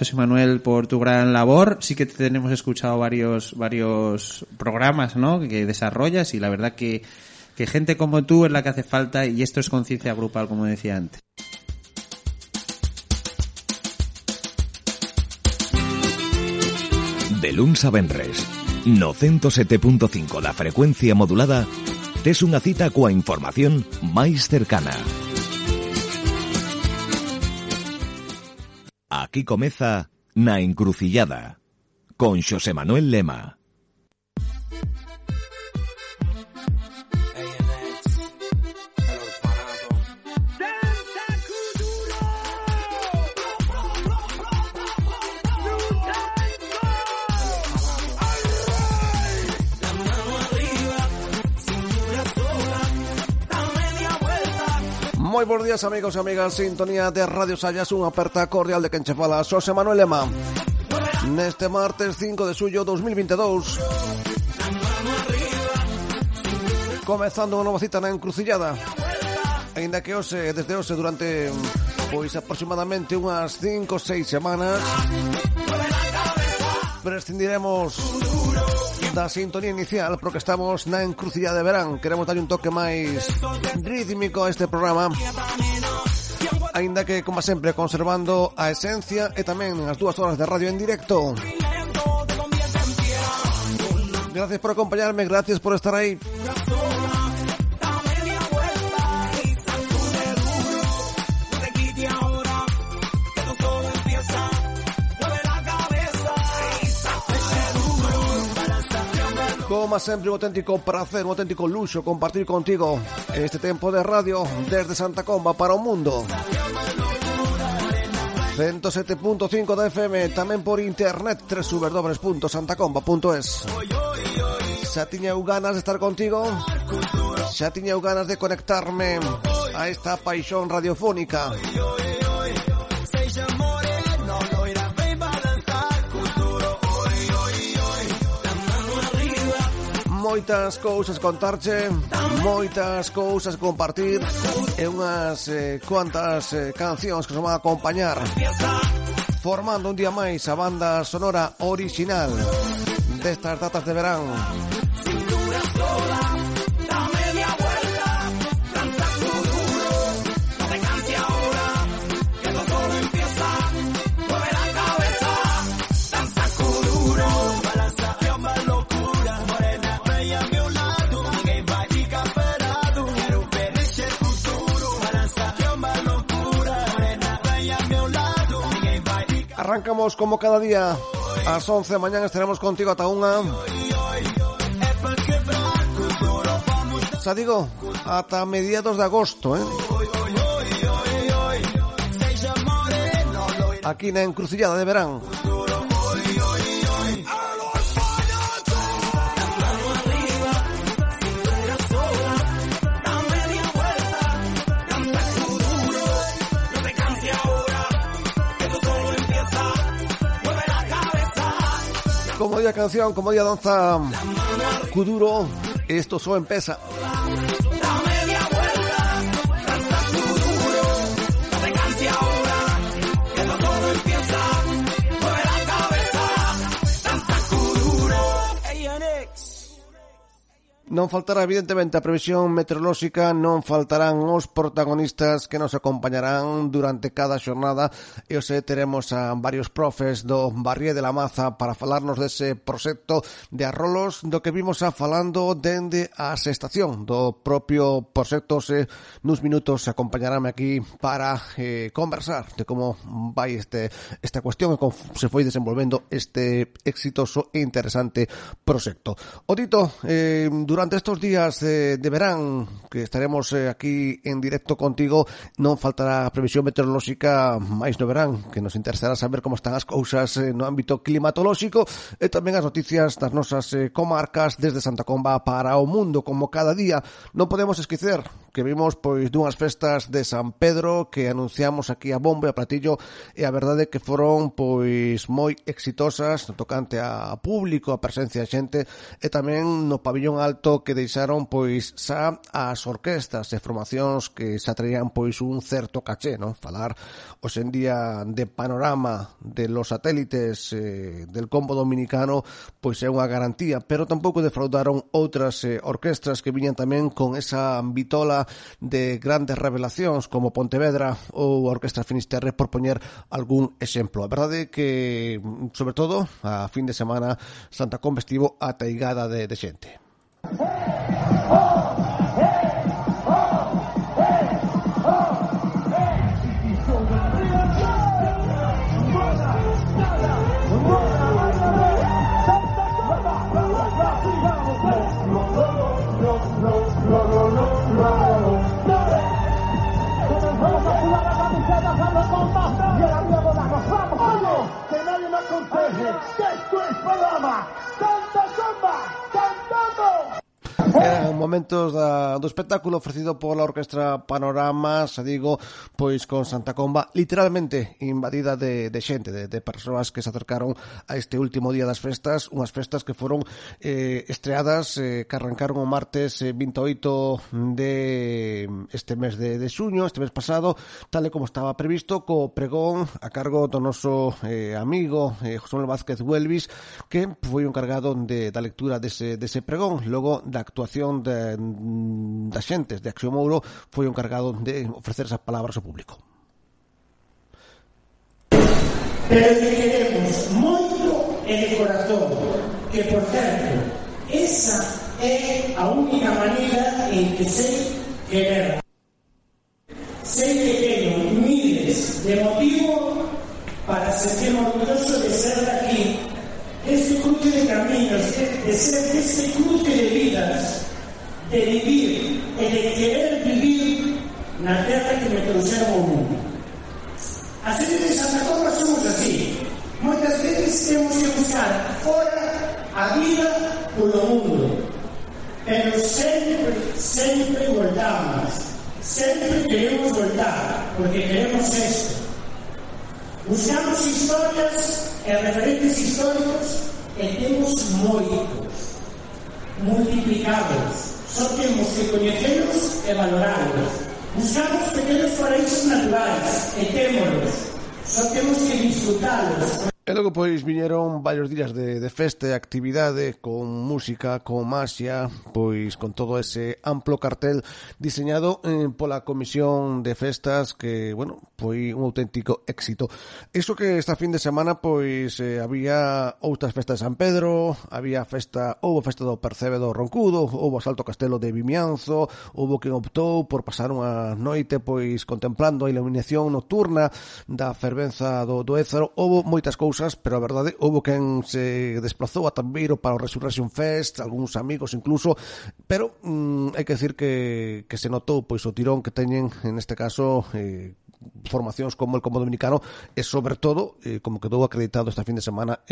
José Manuel, por tu gran labor. Sí que te tenemos escuchado varios programas, ¿no?, que desarrollas, y la verdad que gente como tú es la que hace falta, y esto es conciencia grupal, como decía antes. De luns a venres, no 107.5 da frecuencia modulada, tes unha cita coa información máis cercana. Aquí comeza Na Encrucillada, con Xosé Manuel Lema. Moi bons días, amigos e amigas, sintonía de Radio Sallas, unha aperta cordial de quen che fala, Xosé Manuel Lema. Neste martes 5 de xullo 2022, comezando unha nova cita na Encrucillada. Ainda que desde hoxe durante pois aproximadamente unhas 5 ou 6 semanas prescindiremos da sintonía inicial porque estamos na Encrucillada de verán. Queremos darlle un toque máis rítmico a este programa, aínda que, como sempre, conservando a esencia e tamén as 2 horas de radio en directo. Gracias por acompañarme, gracias por estar aí. Como sempre, un auténtico prazer, un auténtico luxo compartir contigo este tempo de radio desde Santa Comba para o mundo. 107.5 da FM, tamén por internet, www.santacomba.es. Xa tiña ganas de estar contigo, xa tiña ganas de conectarme a esta paixón radiofónica. Moitas cousas contarche, moitas cousas compartir e unhas cuantas cancións que nos van a acompañar, formando un día máis a banda sonora original destas datas de verán. Arrancamos como cada día ás 11 da mañá, estaremos contigo ata unha. Xa digo, ata mediados de agosto, aquí na Encrucillada de verán. Como día canción, como día danza, Kuduro, esto solo empieza. Non faltará, evidentemente, a previsión meteorolóxica, non faltarán os protagonistas que nos acompañarán durante cada xornada, e hoxe teremos a varios profes do Barrié de la Maza para falarnos dese proxecto de arrolos do que vimos falando dende a estación do propio proxecto. Nuns minutos acompañarame aquí para conversar de como vai esta cuestión e como se foi desenvolvendo este exitoso e interesante proxecto. O dito, durante estos días de verán que estaremos aquí en directo contigo, non faltará a previsión meteorolóxica máis no verán, que nos interesará saber como están as cousas no ámbito climatolóxico e tamén as noticias das nosas comarcas desde Santa Comba para o mundo. Como cada día, non podemos esquecer que vimos pois dunhas festas de San Pedro que anunciamos aquí a bombo e a platillo, e a verdade é que foron pois moi exitosas no tocante a público, a presencia de xente, e tamén no pabillón alto que deixaron pois xa as orquestas e formacións que xa traían pois un certo caché, non? Falar hoxe en día de panorama de los satélites del combo dominicano pois é unha garantía, pero tampouco defraudaron outras orquestras que viñan tamén con esa vitola de grandes revelacións como Pontevedra ou a Orquestra Finisterre, por poñer algún exemplo. A verdade é que, sobre todo, a fin de semana Santa Comba estivo ateigada de xente. Que nadie me aconseje que esto es programa Santa Comba cantando. Eran momentos do espectáculo ofrecido pola Orquestra Panorama, se digo, pois con Santa Comba literalmente invadida de xente, de persoas que se acercaron a este último día das festas, unhas festas que foron estreadas, que arrancaron o martes 28 de este mes de xuño, este mes pasado, tal e como estaba previsto, co pregón a cargo do noso amigo José Manuel Vázquez Huelvis, que foi o encargado da lectura dese pregón. Logo da actuación das xentes de Acción Mouro foi o encargado de ofrecer esas palabras ao público. Pero que queremos moito e de corazón, que por certo, esa é a única maneira en que sei querer. Sei que teño miles de motivo para sentirme orgulloso de ser daqui, este cruce de caminos, de ser este cruce de vidas, de vivir e de querer vivir na terra que me trouxeron ao mundo. As xentes de Santa Comba somos así. Moitas veces temos que buscar fora a vida polo mundo, pero sempre voltamos, sempre queremos voltar, porque queremos esto. Buscamos historias e referentes históricos e temos moitos, multiplicados. Só temos que coñecelos e valorarlos. Buscamos pequenos paraísos naturais e témolos. Só temos que disfrutalos. E logo pois viñeron varios días de festa e actividade con música, con maxia, pois con todo ese amplo cartel diseñado pola Comisión de Festas que, bueno, foi un auténtico éxito. Iso que esta fin de semana pois había outras festas de San Pedro, houbo festa do Percebe do Roncudo, houbo Salto Castelo de Vimianzo, houbo quen optou por pasar unha noite pois contemplando a iluminación nocturna da fervenza do Ézaro. Houbo moitas cousas, pero a verdade, houbo quen se desplazou a Tambeiro para o Resurrection Fest, algúns amigos incluso, pero hai que decir que se notou pois o tirón que teñen, en este caso, formacións como el Combo Dominicano e, sobre todo, como quedou acreditado esta fin de semana,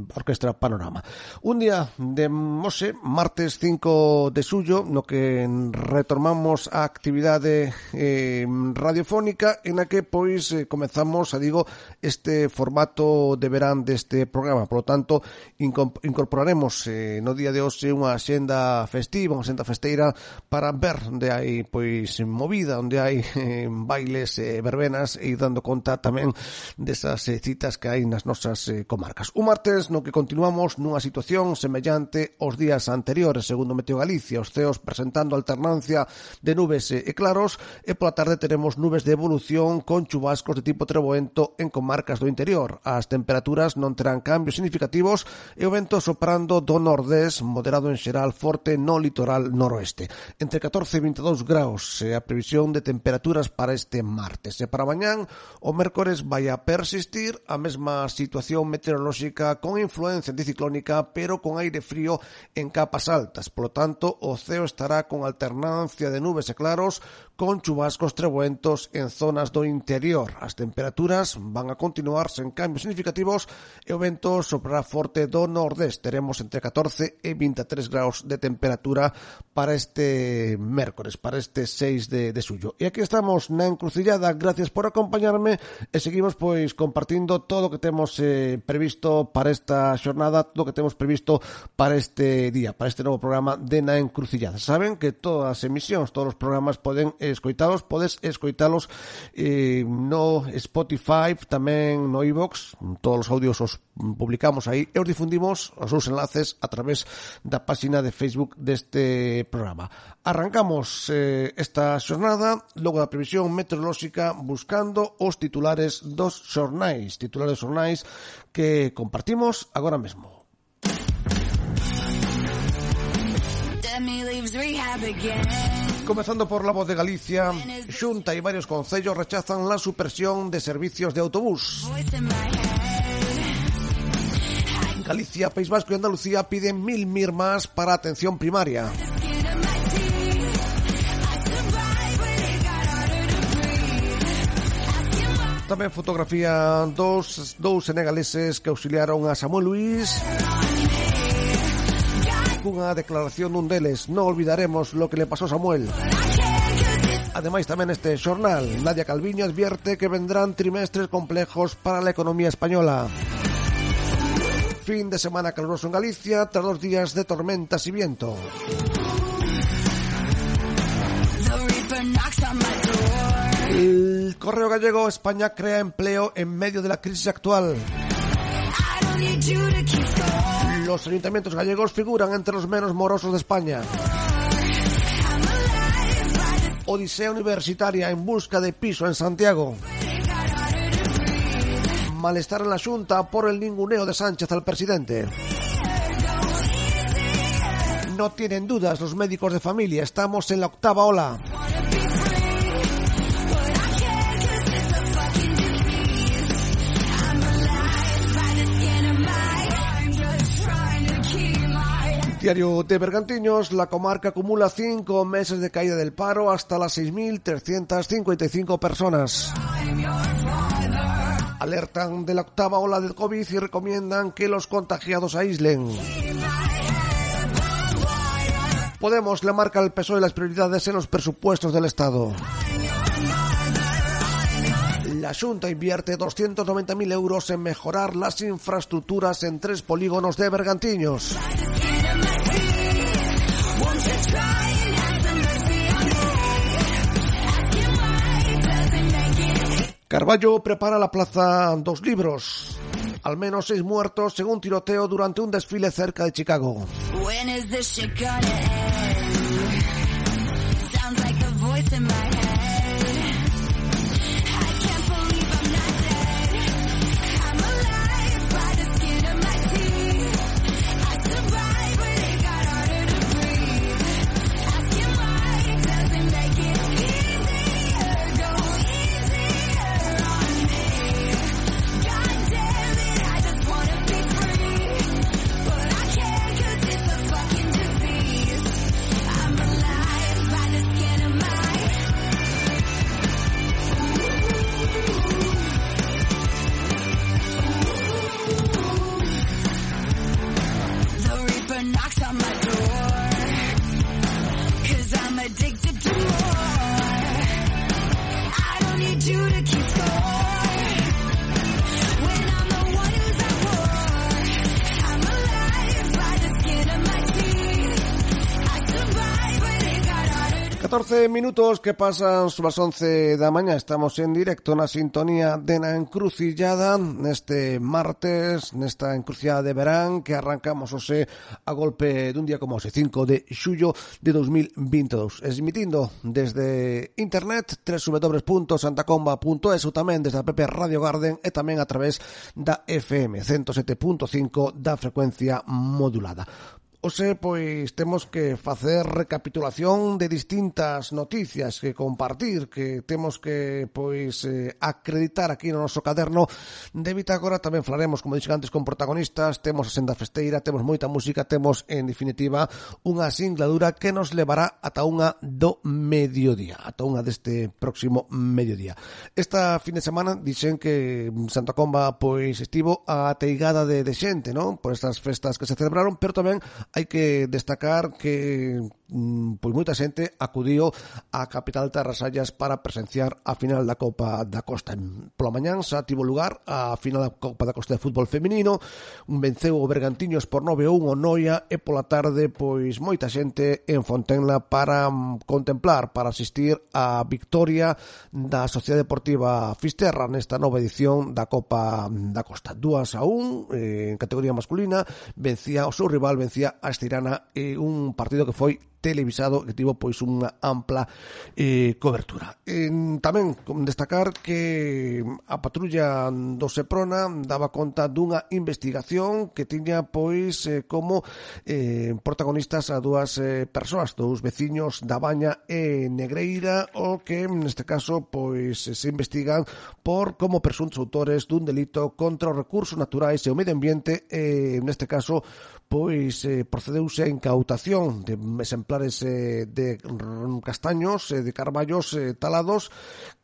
Orquestra Panorama. Un día de hoxe, martes 5 de xullo, no que retomamos a actividade radiofónica, en a que, pois, comezamos, este formato de verán deste programa. Por lo tanto, incorporaremos no día de hoxe unha xenda festiva, unha xenda festeira, para ver onde hai, pois, movida, onde hai bailes, verbenas, e ir dando conta tamén desas citas que hai nas nosas comarcas. Un martes no que continuamos nunha situación semellante aos días anteriores, segundo Meteo Galicia, os ceos presentando alternancia de nubes e claros, e pola tarde teremos nubes de evolución con chubascos de tipo treboento en comarcas do interior. As temperaturas non terán cambios significativos e o vento soprando do nordés, moderado en xeral, forte no litoral noroeste. Entre 14 e 22 graus a previsión de temperaturas para este martes. manterse para mañán. O mércores vai a persistir a mesma situación meteorolóxica con influencia anticiclónica, pero con aire frío en capas altas. Polo tanto, o ceo estará con alternancia de nubes e claros, con chubascos trebuentos en zonas do interior. As temperaturas van a continuar sen cambios significativos e o vento soprará forte do nordés. Teremos entre 14 e 23 graus de temperatura para este mércores, para este 6 de xullo. E aquí estamos na encrucillada. Gracias por acompañarme e seguimos pois compartindo todo o que temos previsto para esta xornada, todo o que temos previsto para este día, para este novo programa de Na Encrucillada. Saben que todas as emisións, todos os programas podes escoitalos no Spotify, tamén no iVoox. Todos os audios os publicamos aí e os difundimos os seus enlaces a través da página de Facebook deste programa. Arrancamos esta xornada logo da previsión meteorolóxica buscando os titulares dos xornais que compartimos agora mesmo. Comezando por La Voz de Galicia, Xunta y varios concellos rechazan la supresión de servicios de autobús. Galicia, País Vasco y Andalucía piden 1.000 mir más para atención primaria. Tamén fotografía dous senegaleses que auxiliaron a Samuel Luís. Cunha declaración dun deles: non olvidaremos lo que le pasó a Samuel. Ademais, tamén este xornal, Nadia Calviño advierte que vendrán trimestres complejos para la economía española. Fin de semana caluroso en Galicia tras 2 días de tormentas y viento. El Correo Gallego: España crea empleo en medio de la crisis actual. Los ayuntamientos gallegos figuran entre los menos morosos de España. Odisea universitaria en busca de piso en Santiago. Malestar en la Xunta por el ninguneo de Sánchez al presidente. No tienen dudas los médicos de familia, estamos en la 8ª ola. Diario de Bergantiños: la comarca acumula 5 meses de caída del paro hasta las 6.355 personas. Alertan de la 8ª ola del COVID y recomiendan que los contagiados aíslen. Podemos le marca al PSOE las prioridades en los presupuestos del Estado. La Xunta invierte 290.000 euros en mejorar las infraestructuras en 3 polígonos de Bergantiños. Carballo prepara la Plaza dos Libros. Al menos 6 muertos según tiroteo durante un desfile cerca de Chicago. Minutos que pasan sobre as 11 da mañá. Estamos en directo na sintonía de Na Encrucillada neste martes, nesta encrucillada de verán que arrancamos hoxe a golpe dun día como hoxe, 5 de xullo de 2022, emitindo desde internet www.santacomba.es ou tamén desde a app Radio Garden e tamén a través da FM 107.5 da frecuencia modulada. Hoxe, pois, temos que facer recapitulación de distintas noticias que compartir, que temos que, pois, acreditar aquí no noso caderno de bitácora. Tamén falaremos, como dixen antes, con protagonistas, temos a senda festeira, temos moita música, temos, en definitiva, unha singladura que nos levará ata unha do mediodía, ata unha deste próximo mediodía. Esta fin de semana dixen que Santa Comba, pois, estivo a teigada de xente, non? Por estas festas que se celebraron, pero tamén hai que destacar que pois moita xente acudiu á capital Tarrasallas para presenciar a final da Copa da Costa. Pola mañán xa tivo lugar a final da Copa da Costa de fútbol feminino, venceu o Bergantiños por 9-1 o Noia, e pola tarde pois moita xente en Fontenla para contemplar, para asistir á victoria da Sociedade Deportiva Fisterra nesta nova edición da Copa da Costa. 2-1 en categoría masculina, vencía o seu rival, vencía a Estirana, un partido que foi televisado, que tivo pois unha ampla cobertura. Tamén destacar que a patrulla do Seprona daba conta dunha investigación que tiña pois como protagonistas a dúas persoas, dous veciños da Baña e Negreira, o que neste caso pois se investigan por como presuntos autores dun delito contra os recursos naturais e o medio ambiente. Neste caso pois procedeuse a incautación de exemplares de castaños, de carballos talados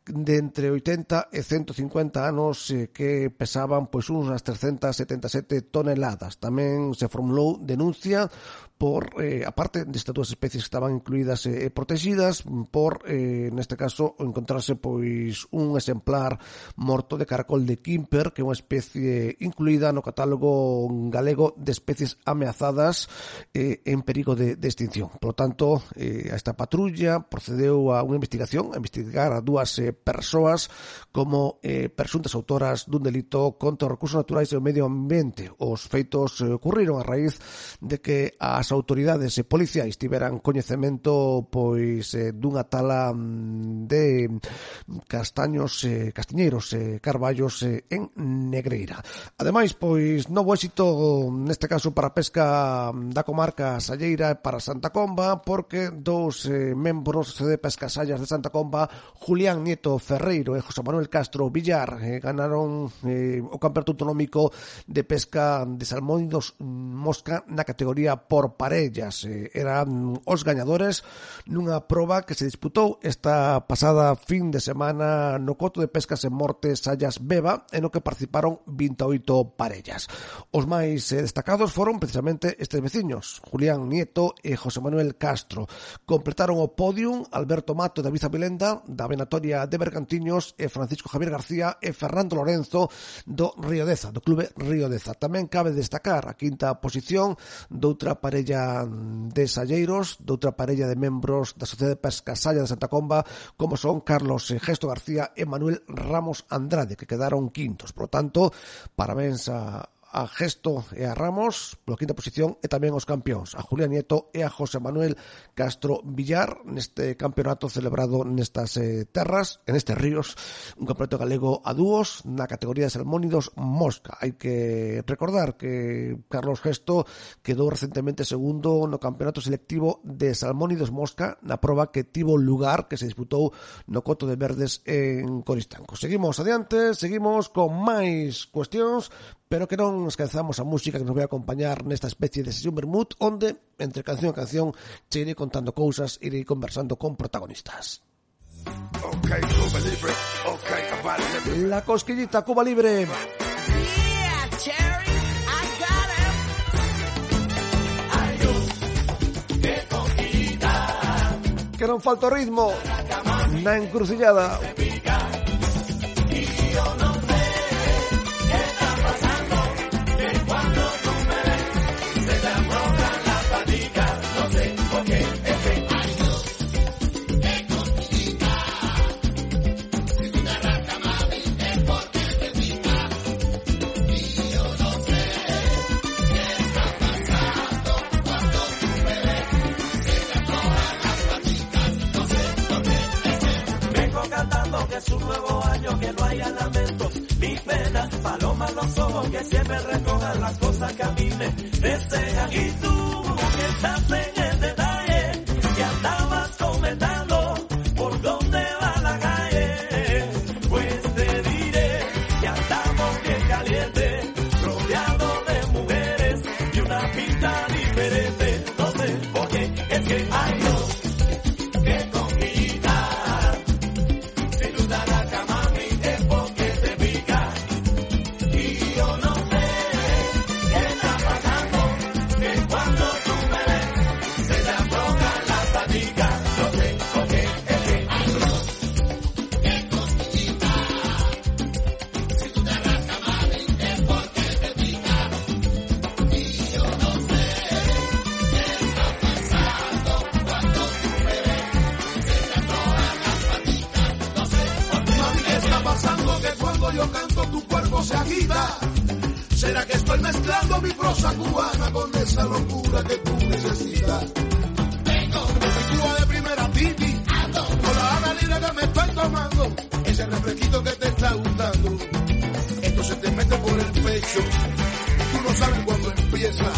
de entre 80 e 150 anos que pesaban pois unhas 377 toneladas. Tamén se formulou denuncia por, aparte destas dúas especies que estaban incluídas e protegidas, por, neste caso, encontrarse pois un exemplar morto de caracol de Quimper, que é unha especie incluída no catálogo galego de especies ameazadas en perigo de extinción. Por lo tanto, esta patrulla procedeu a unha investigación, a investigar a dúas persoas como presuntas autoras dun delito contra os recursos naturais e o medio ambiente. Os feitos ocurriron a raíz de que as autoridades policiais tiveran coñecemento pois dunha tala de castaños, castiñeiros, carballos en Negreira. Ademais, pois novo éxito neste caso para a pesca da comarca salleira para Santa Comba, porque dous membros de Pesca Sallas de Santa Comba, Julián Nieto Ferreiro e José Manuel Castro Villar, ganaron o campeonato autonómico de pesca de salmónidos mosca na categoría por parellas. Eran os gañadores nunha proba que se disputou esta pasada fin de semana no coto de pescas en Morte Sallas Beba, en o que participaron 28 parellas. Os máis destacados foron precisamente estes veciños, Julián Nieto e José Manuel Castro. Completaron o podium Alberto Mato e David Avilenda da Venatoria de Bergantiños e Francisco Javier García e Fernando Lorenzo do Río Deza, do Clube Río Deza. Tamén cabe destacar a quinta posición doutra parella de salleiros, doutra parella de membros da Sociedade de Pesca Salla de Santa Comba, como son Carlos Gesto García e Manuel Ramos Andrade, que quedaron quintos. Por lo tanto, parabéns a Gesto e a Ramos pola quinta posición, e tamén os campións, a Julián Nieto e a José Manuel Castro Villar, neste campeonato celebrado nestas terras, en estes ríos, un campeonato galego a dúos na categoría de salmónidos mosca. Hai que recordar que Carlos Gesto quedou recentemente segundo no campeonato selectivo de salmónidos mosca na proba que tivo lugar, que se disputou no Coto de Verdes en Coristanco. Seguimos adiante, seguimos con máis cuestións, pero que non esquezamos a música que nos vai a acompañar nesta especie de sesión vermut, onde, entre canción e canción, che irei contando cousas, irei conversando con protagonistas. Okay, Cuba Libre. Okay, La cosquillita Cuba Libre. Yeah, Cherry, I got him. Que cosquillita. Que non falta o ritmo na encrucillada. Es un nuevo año, que no haya lamentos ni penas, palomas los ojos que siempre recojan las cosas que a mí me desean. Y tú estás en el detalle, que andabas comentando por dónde va la calle. Pues te diré que andamos bien calientes, rodeados de mujeres y una pinta diferente. No sé por qué, es que hay dos que conquistar. Si tú te arrancas, mami, es porque te pica. Y yo no sé qué está pasando, que cuando tú me ves se te aflojan las paticas. No sé por qué, es que hay dos que conquistar. Si tú te arrancas, mami, es porque te pica. Y yo no sé qué está pasando, cuando tú me ves se te aflojan las paticas. No sé por qué. Mami, ¿qué está pasando? Que cuando yo canto tu cuerpo se agita. ¿Será que estoy mezclando mi prosa cubana con esa locura que tú necesitas? Vengo de Cuba de primera titi, con la gana libre que me estoy tomando, ese refresquito que te está gustando. Esto se te mete por el pecho, tú no sabes cuándo empieza,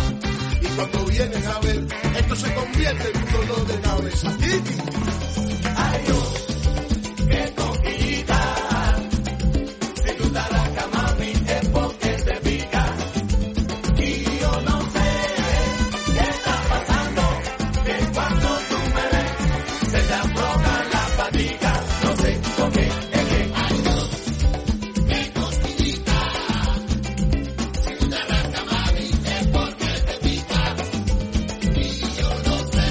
y cuando vienes a ver, esto se convierte en un dolor de cabeza. Titi. Hay dos que conquistar. Si tú te arrancas, mami, es porque te pica. Y yo no sé qué está pasando, que cuando tú me ves se te aflojan las paticas. No sé por qué, es que hay dos que conquistar. Si tú te arrancas, mami, es porque te pica. Y yo no sé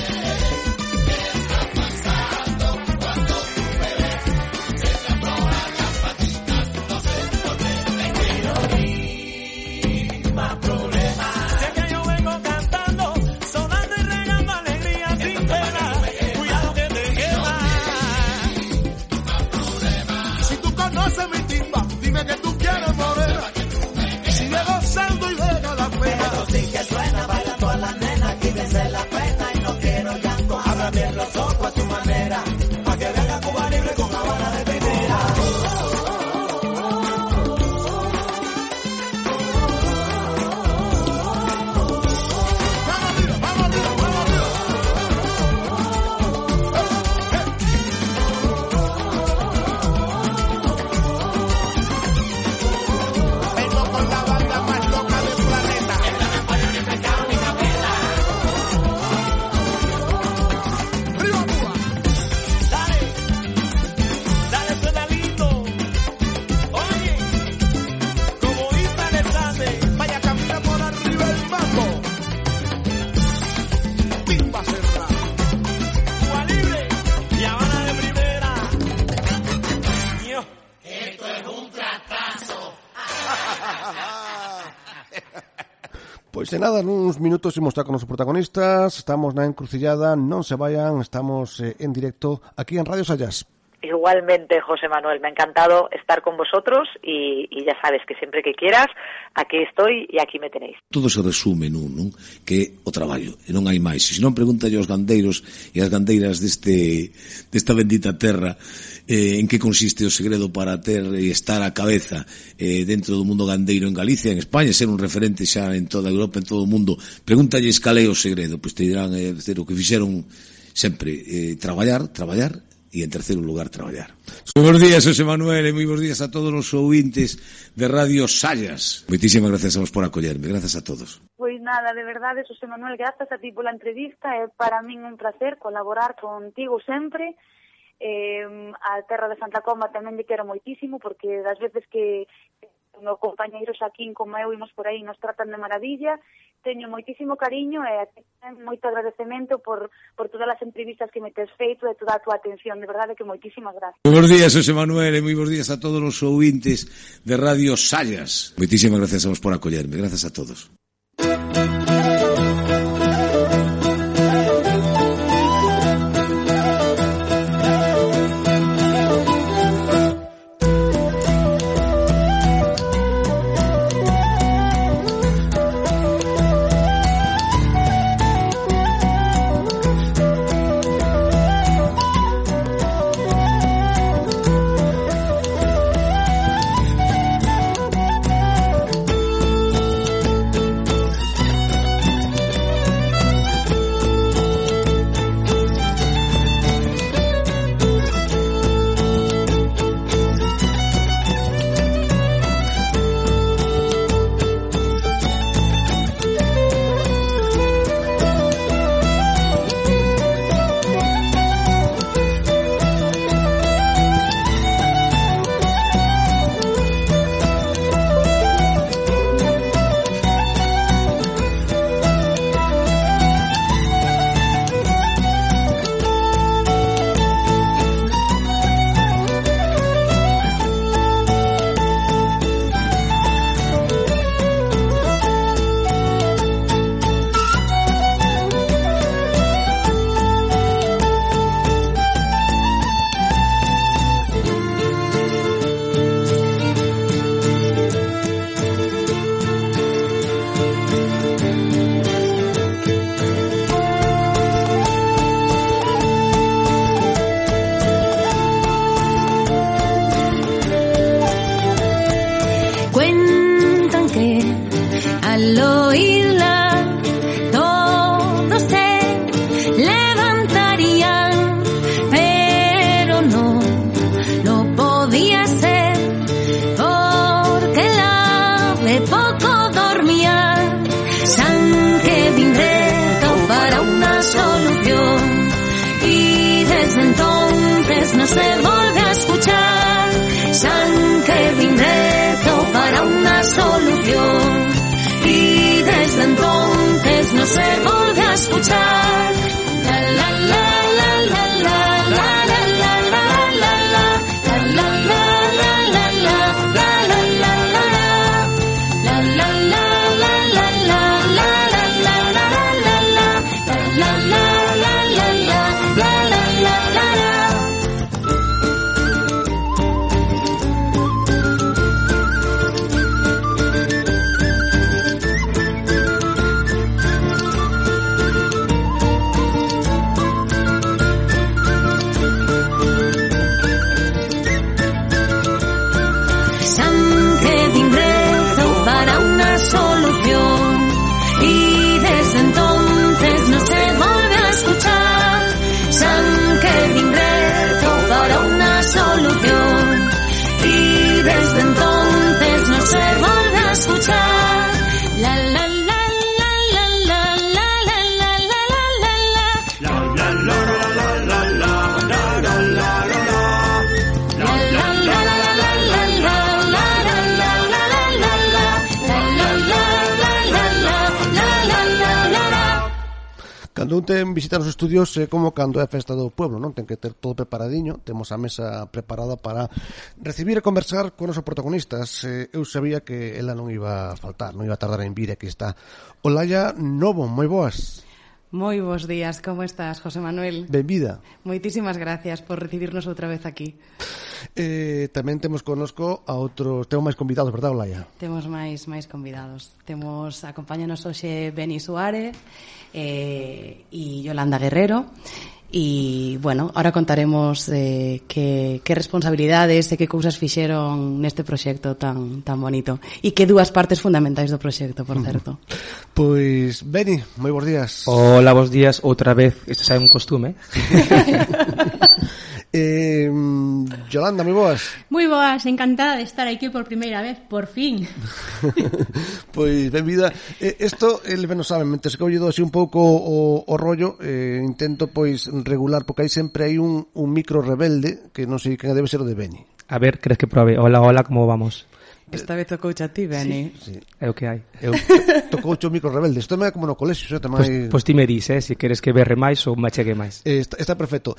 qué está pasando, cuando tú me ves se te aflojan las paticas. No sé por qué, es que no hay más problemas. Sé que yo vengo cantando, sonando y regando alegría sin pena. Cuidado que te quema. Si tú conoces mi timba, dime que tú quieres morena. Sigue gozando y deja la pena. Esto sí que suena para todas las nenas, quítense la pena y no quiero llanto. Abra bien los ojos a tu manera, pa' que venga Cuba Libre con Habana de primera. Vamos arriba, vamos arriba, vamos arriba. Vengo con la banda más loca del planeta. Arriba, Cuba. Dale, dale, suena lindo. Oye, como Isla del Sande, Vaya, camina por arriba el mambo. Timba cerrada. Cuba Libre y Habana de primera. Yo. Pois de nada, nuns minutos imos estar con os protagonistas. Estamos na encrucillada, non se vayan, estamos en directo aquí en Radio Sayas. Igualmente, José Manuel, me ha encantado estar con vosotros y ya sabes que siempre que quieras, aquí estoy y aquí me tenéis. Todo se resume nun, non? Que o traballo, e non hai máis. Se non, pregúntalle aos gandeiros e as gandeiras desta bendita terra en que consiste o segredo para ter e estar á cabeza dentro do mundo gandeiro en Galicia, en España, ser un referente xa en toda Europa, en todo o mundo. Pregúntalles cal é o segredo, pois te dirán o que fixeron sempre, traballar e en terceiro lugar traballar. Bos días, José Manuel, e moi bons días a todos os ouvintes de Radio Sayas. Moitísimas gracias a vos por acollerme, gracias a todos. Pois nada, de verdade, José Manuel, grazas a ti pola entrevista, é para min un placer colaborar contigo sempre. A terra de Santa Comba tamén lle quero moitísimo, porque das veces que meus compañeiros aquí como eu imos por aí nos tratan de maravilla, teño moitísimo cariño e moito agradecemento por todas as entrevistas que me tes feito e toda a tua atención, de verdade que moitísimas gracias. Bos días, José Manuel, e moi bons días a todos os ouvintes de Radio Sayas. Moitísimas gracias a vos por acollerme, gracias a todos. al oírla todos se levantarían, pero no lo podía ser porque la ave poco dormía. San Kevin rezó para una solución y desde entonces no se volvió a escuchar. San Kevin rezó para una solución y desde entonces no se volvió a escuchar. La la la la la la la la la la la la la la la la Cando un ten visita nos estudios é como cando é a festa do pueblo, non? Ten que ter todo preparadiño, temos a mesa preparada para recibir e conversar con os protagonistas. Eu sabía que ela non iba a faltar, non iba a tardar en vir, aquí está. Olaya Novo, moi boas. Moi bons días, como estás, José Manuel? Benvida. Moitísimas gracias por recibirnos outra vez aquí. Tamén temos connosco a outros, temos máis convidados, verdad, Olaya? Temos máis convidados. Acompáñanos hoxe Beni Suárez e Yolanda Guerrero. E, bueno, ahora contaremos que responsabilidades e que cousas fixeron neste proxecto tan bonito. E que dúas partes fundamentais do proxecto, por certo. Pois, Beni, moi bons días. Hola, bons días, outra vez. Isto xa é un costume. Yolanda, moi boas. Moi boas, encantada de estar aquí por primeira vez, por fin. Pois, benvida. Isto, eles ben o saben, mentre que ollido así un pouco o rollo, intento pois regular, porque aí sempre hai un micro rebelde, que non sei que debe ser o de Beni. A ver, crees que probe? Hola, a como vamos? Esta vez tocouche a ti, Beni. Sí. É o que hai. Tocouche o micro rebelde. Isto é como no colexio, xa tamén. Pois ti me dis, se queres que berre máis ou me achegue máis. Está perfecto.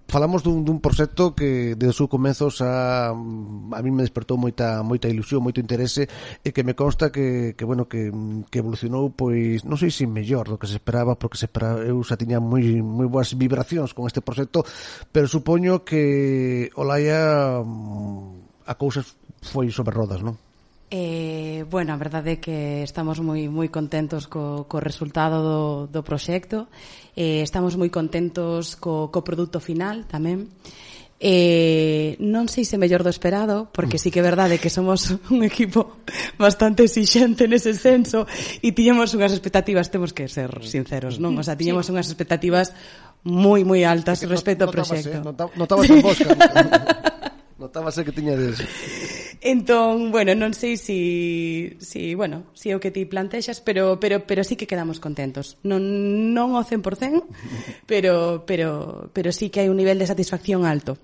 Falamos dun proxecto que desde os seus comezos a mí me despertou moita ilusión, moito interese, e que me consta que evolucionou, pois, non sei se mellor do que se esperaba, porque eu xa tiña moi boas vibracións con este proxecto, pero supoño que Olaya a cousas foi sobre rodas, non? Bueno, a verdade é que estamos moi contentos co resultado do proxecto, estamos moi contentos co produto final tamén. Non sei se mellor do esperado, porque sí que é verdade que somos un equipo bastante exixente nese senso e tiñamos unhas expectativas, temos que ser sinceros, non? O sea, tiñamos unhas expectativas moi altas respecto ao proxecto. Notabas en Bosca. Notábase que tiña deso. Entón, bueno, non sei se é o que ti plantexas, pero sí que quedamos contentos. Non ao 100%, pero sí que hai un nivel de satisfacción alto.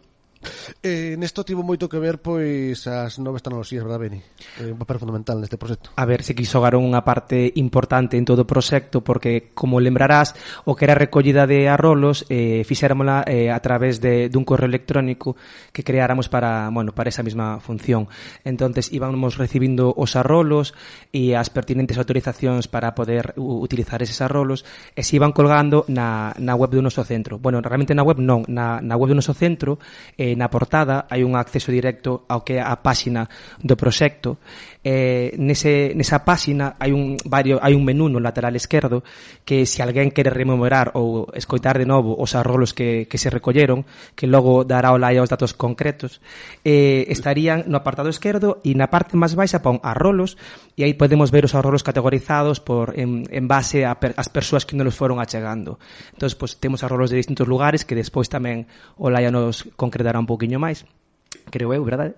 Nesto tivo moito que ver pois as novas tecnoloxías, verdad, Beni? Un papel fundamental neste proxecto. A ver, se que xogaron unha parte importante en todo o proxecto, porque, como lembrarás, o que era a recollida de arrolos fixéramola a través dun correo electrónico que creáramos para esa mesma función. Entonces íbamos recibindo os arrolos e as pertinentes autorizacións para poder utilizar eses arrolos, e se iban colgando na web do noso centro. Bueno, realmente na web non, na web do noso centro na portada hai un acceso directo ao que é a páxina do proxecto. Nesa páxina hai un menú no lateral esquerdo que se alguén quere rememorar ou escoitar de novo os arrolos que se recolleron, que logo dará Olaya os datos concretos, estarían no apartado esquerdo e na parte máis baixa pon arrolos e aí podemos ver os arrolos categorizados en base ás persoas que nos foron achegando. Entón, pues, temos arrolos de distintos lugares que despois tamén Olaya nos concretará un pouquiño máis. Creo eu, verdade?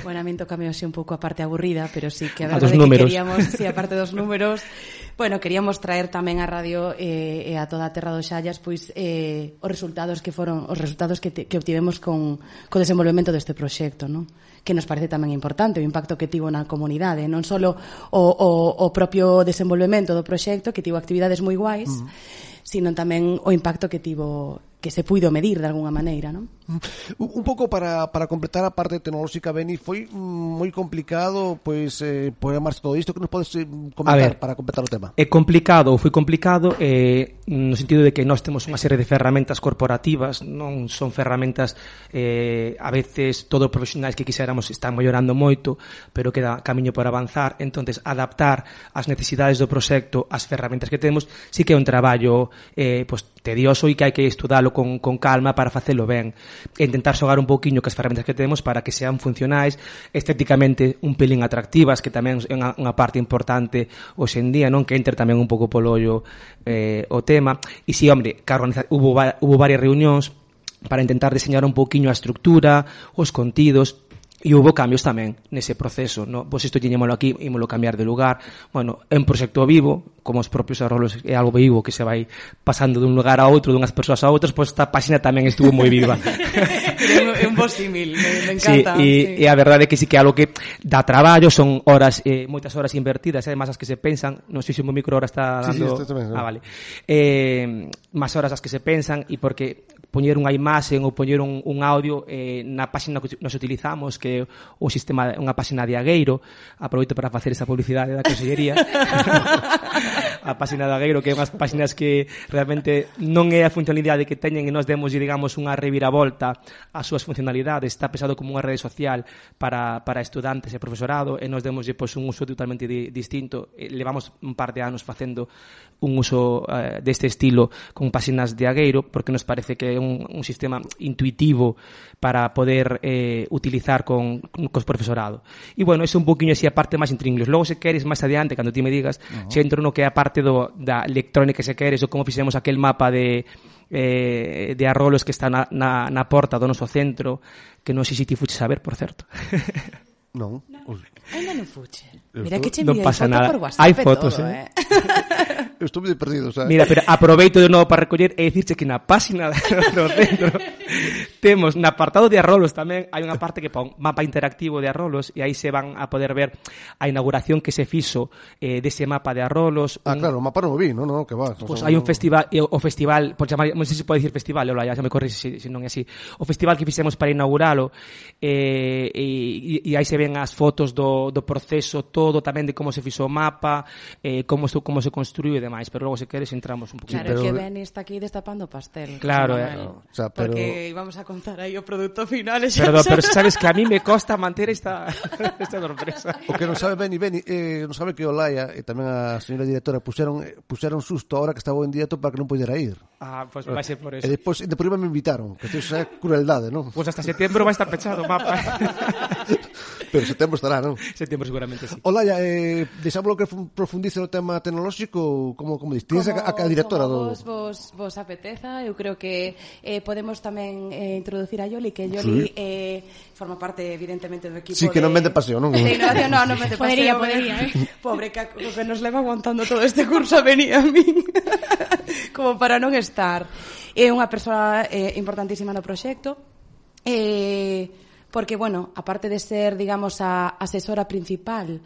Bueno, a min tocame así un pouco a parte aburrida, pero sí que a verdade que queríamos, sí, a parte dos números, bueno, queríamos traer tamén a radio e a toda a terra dos Xallas, pois os resultados que obtivemos co desenvolvemento deste proxecto, non? Que nos parece tamén importante o impacto que tivo na comunidade, non só o propio desenvolvemento do proxecto, que tivo actividades moi guais, sino tamén o impacto que tivo, que se puido medir de alguna maneira, non? Un pouco para completar a parte tecnolóxica, Beni, foi moi complicado pois programar todo isto, que nos podes comentar para completar o tema? É complicado, ou foi complicado no sentido de que nós temos unha serie de ferramentas corporativas, non son ferramentas a veces todo profesionais que quixéramos están mellorando moito, pero queda camiño por avanzar. Entonces adaptar as necesidades do proxecto ás ferramentas que temos sí que é un traballo tedioso e que hai que estudalo con calma para facelo ben, e intentar xogar un pouquiño cas ferramentas que temos para que sean funcionais, estéticamente un pelín atractivas, que tamén é unha parte importante hoxe en día, non, que entre tamén un pouco polo ollo o tema. E si, hombre, hubo varias reunións para intentar diseñar un pouquiño a estructura, os contidos. E houve cambios tamén nese proceso, no? Pois isto tiñémolo aquí, ímolo cambiar de lugar. Bueno, é un proxecto vivo, como os propios arrolos é algo vivo que se vai pasando dun lugar a outro, dunhas persoas a outras, pois esta páxina tamén estuvo moi viva. É un bo símil, me encanta. Sí, e a verdade é que sí que é algo que dá traballo, son horas, moitas horas invertidas, además as que se pensan, non sei se o micro ahora está dando... Sí, tamén, vale. Máis horas as que se pensan, e porque poñer unha imaxe ou poñer un audio na páxina que nos utilizamos, que o sistema, unha páxina de Agueiro, aproveito para facer esa publicidade da Consellería. A páxina de Agueiro, que é unhas páxinas que realmente non é a funcionalidade que teñen e nos demos, digamos, unha reviravolta ás súas funcionalidades. Está pensado como unha rede social para estudantes e profesorado, e nos demos un uso totalmente distinto. Levamos un par de anos facendo un uso deste estilo con páxinas de Agueiro, porque nos parece que é un sistema intuitivo para poder utilizar cos profesorado. E bueno, é un poquinho así a parte máis entre inglés. Logo, se queres, máis adiante, cando ti me digas, se entro no que é a parte da electrónica, se queres, ou como fixemos aquel mapa de arrolos que está na porta do noso centro, que non sei se ti fuches a ver, por certo. Non. Ainda non fuche. Mira que che enviei foto por WhatsApp. Hai fotos, Eu estou moi perdido, sabes? Mira, pero aproveito de novo para recoller e dicirche que na páxina do centro temos no apartado de arrolos tamén hai unha parte que pon mapa interactivo de arrolos, e aí se van a poder ver a inauguración que se fixo dese mapa de arrolos. Claro, o mapa non o vi, non, que va. Pois hai un festival, o festival, por chamar, non sei se pode dicir festival, xa me corrixe se non é así. O festival que fixemos para inauguralo, e aí se ven as fotos do proceso todo, tamén de como se fixo o mapa, como se construiu e demais, pero logo se queres entramos un poquito. Claro, que Beni está aquí destapando pastel. Claro, o sea, pero... porque íbamos a contar aí o produto final. Perdón, pero sabes que a mí me costa manter esta sorpresa. O que non sabe Beni, non sabe que Olaya e tamén a señora directora puxeron susto a hora que estaba en directo para que non pudera ir. Pois vai ser por eso. E depois me invitaron, que isto é crueldade, non? Pois hasta setembro vai estar pechado o mapa. Pero setembro estará, non? Setembro seguramente, sí. Olaya, deixámoslo que profundice no tema tecnolóxico, como dices, tienes a directora do... Vos apeteza, eu creo que podemos tamén introducir a Yoli, que Yoli forma parte, evidentemente, do equipo que non vende paseo, non? De innovación, non vende paseo. Podería. Pobre Caco, que nos leva aguantando todo este curso a venir a min. Como para non estar. É unha persoa importantísima no proxecto, porque, bueno, aparte de ser, digamos, a asesora principal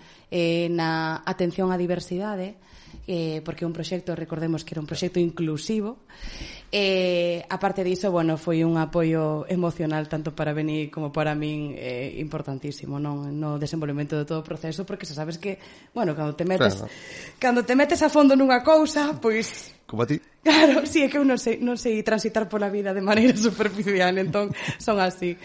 na atención á diversidade, porque é un proxecto, recordemos que era un proxecto inclusivo, aparte diso, bueno, foi un apoio emocional tanto para Beni como para min importantísimo, non, no desenvolvemento de todo o proceso, porque xa sabes que, bueno, cando te metes a fondo nunha cousa, pois como a ti. Claro, sí, é que eu non sei transitar pola vida de maneira superficial, entón son así.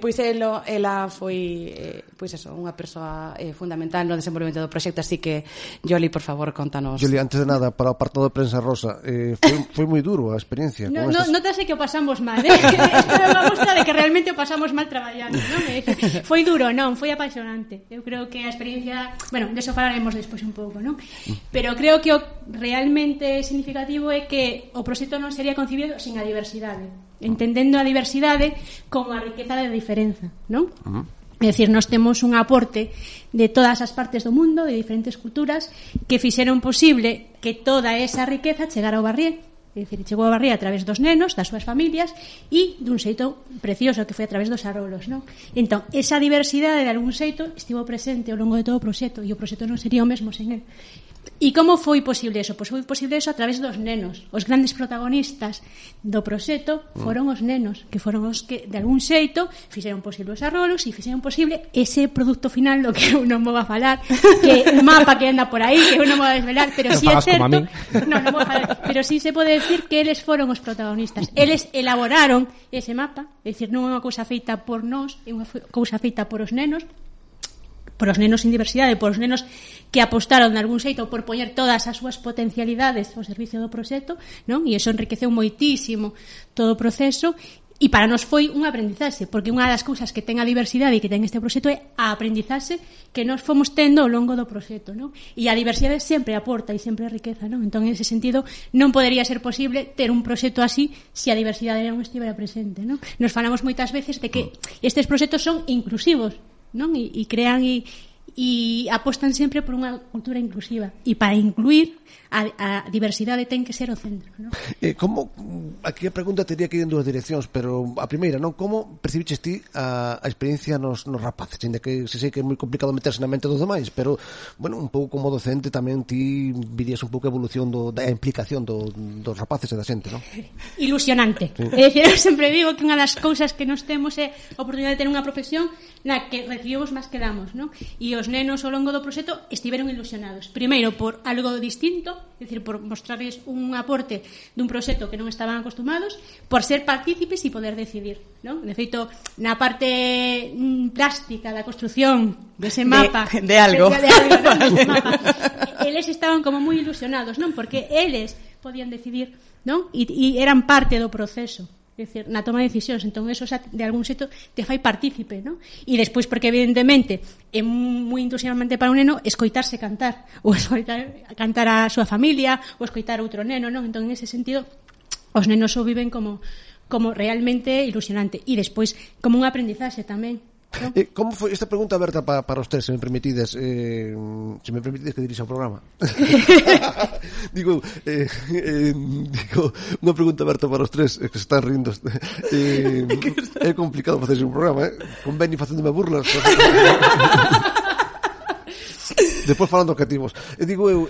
Pois ela foi unha persoa fundamental no desenvolvemento do proxecto, así que Yoli, por favor, contanos. Yoli, antes de nada, para o apartado de prensa rosa, foi moi duro a experiencia. Notase que o pasamos mal, Isto é unha mostra de que realmente o pasamos mal traballando, non? Foi duro, non, foi apaixonante. Eu creo que a experiencia, bueno, deso falaremos despois un pouco, non? Pero creo que o realmente significativo é que o proxecto non sería concebido sin a diversidade, entendendo a diversidade como a riqueza da diferenza, non? É dicir, nós temos un aporte de todas as partes do mundo, de diferentes culturas, que fixeron posible que toda esa riqueza chegara ao Barrié. É dicir, chegou a Barrié a través dos nenos, das súas familias, e dun xeito precioso que foi a través dos arrolos, non? Entón, esa diversidade de algún xeito estivo presente ao longo de todo o proxecto, e o proxecto non sería o mesmo sen el. E como foi posible eso? Pois foi posible eso a través dos nenos. Os grandes protagonistas do proxecto foron os nenos, que foron os que, de algún xeito, fixeron posible os arrolos e fixeron posible ese produto final do que eu non vou a falar, que o mapa que anda por aí, que eu non vou a desvelar, pero si é certo, non vou a falar, pero si se pode decir que eles foron os protagonistas. Eles elaboraron ese mapa, é dicir, non é unha cousa feita por nós, é unha cousa feita por os nenos sin diversidade, por os nenos que apostaron de algún xeito por poñer todas as súas potencialidades ao servicio do proxecto, non? E iso enriqueceu moitísimo todo o proceso, e para nós foi un aprendizaxe, porque unha das cousas que ten a diversidade e que ten este proxecto é a aprendizaxe que nós fomos tendo ao longo do proxecto, non? E a diversidade sempre aporta e sempre riqueza, non? Entón, en ese sentido, non podería ser posible ter un proxecto así se a diversidade non estivera presente, non? Nos falamos moitas veces de que estes proxectos son inclusivos, non? E crean e apostan sempre por unha cultura inclusiva, e para incluir a diversidade ten que ser o centro, non? Como, aquí a pregunta teria que ir en dúas direccións, pero a primeira, non? Como percibiches ti a experiencia nos rapaces? Ainda que se sei que é moi complicado meterse na mente dos demais, pero, bueno, un pouco como docente tamén ti virías un pouco a evolución da implicación dos rapaces e da xente, non? Ilusionante. Sí. É dicir, eu sempre digo que unha das cousas que nos temos é a oportunidade de ter unha profesión na que recibimos máis que damos, non? E os nenos ao longo do proxecto estiveron ilusionados. Primeiro, por algo distinto, é dicir, por mostrarles un aporte dun proxecto que non estaban acostumados, por ser partícipes e poder decidir, non? De feito, na parte plástica da construción dese mapa de algo, non? Dese mapa, eles estaban como moi ilusionados, non? Porque eles podían decidir, non? E eran parte do proceso, é dicir, na toma de decisións. Entón, eso de algún xeito te fai partícipe, non? E despois, porque evidentemente é moi entusiasmante para un neno escoitarse cantar, ou cantar a súa familia, ou escoitar outro neno, non? Entón, en ese sentido, os nenos o viven como realmente ilusionante, e despois como un aprendizaxe tamén, non? Como foi esta pregunta aberta para os tres, se me permitides que dirixa o programa? digo, unha pregunta aberta para os tres, que se están rindo. É complicado facer un programa, con Benny facéndome burlas. Despois falando objetivos. Digo eu,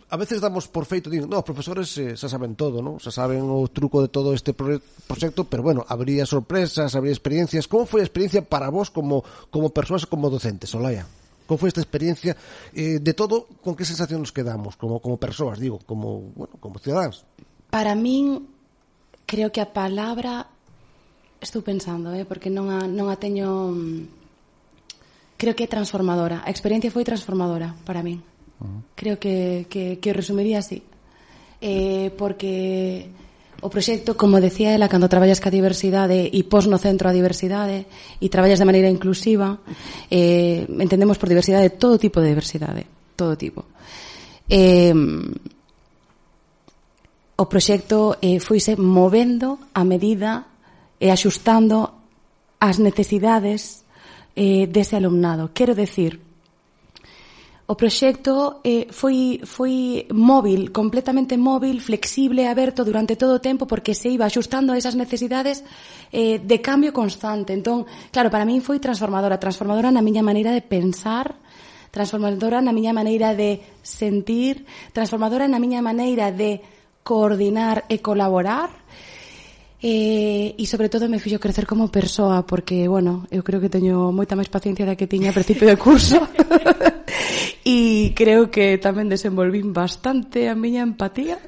a veces damos por feito, digo, os profesores xa saben todo, non? Xa saben o truco de todo este proxecto, pero bueno, habría sorpresas, habría experiencias. Como foi a experiencia para vos como persoas, como docentes, Olaya? Como foi esta experiencia de todo, con que sensación nos quedamos como persoas, digo, como cidadáns? Para min, creo que a palabra, estou pensando, porque non a teño, creo que é transformadora. A experiencia foi transformadora para min. Creo que resumiría así, porque o proxecto, como decía ela, cando traballas ca diversidade e pos no centro a diversidade e traballas de maneira inclusiva, entendemos por diversidade todo tipo de diversidade, todo tipo. O proxecto foise movendo a medida e axustando as necesidades dese alumnado. Quero decir, o proxecto foi móvil, completamente móvil, flexible, aberto durante todo o tempo, porque se iba axustando a esas necesidades de cambio constante. Entón, claro, para min foi transformadora na miña maneira de pensar, transformadora na miña maneira de sentir, transformadora na miña maneira de coordinar e colaborar, E sobre todo me fixo crecer como persoa, porque, bueno, eu creo que teño moita máis paciencia da que tiña a principio de curso. E creo que tamén desenvolvín bastante a miña empatía.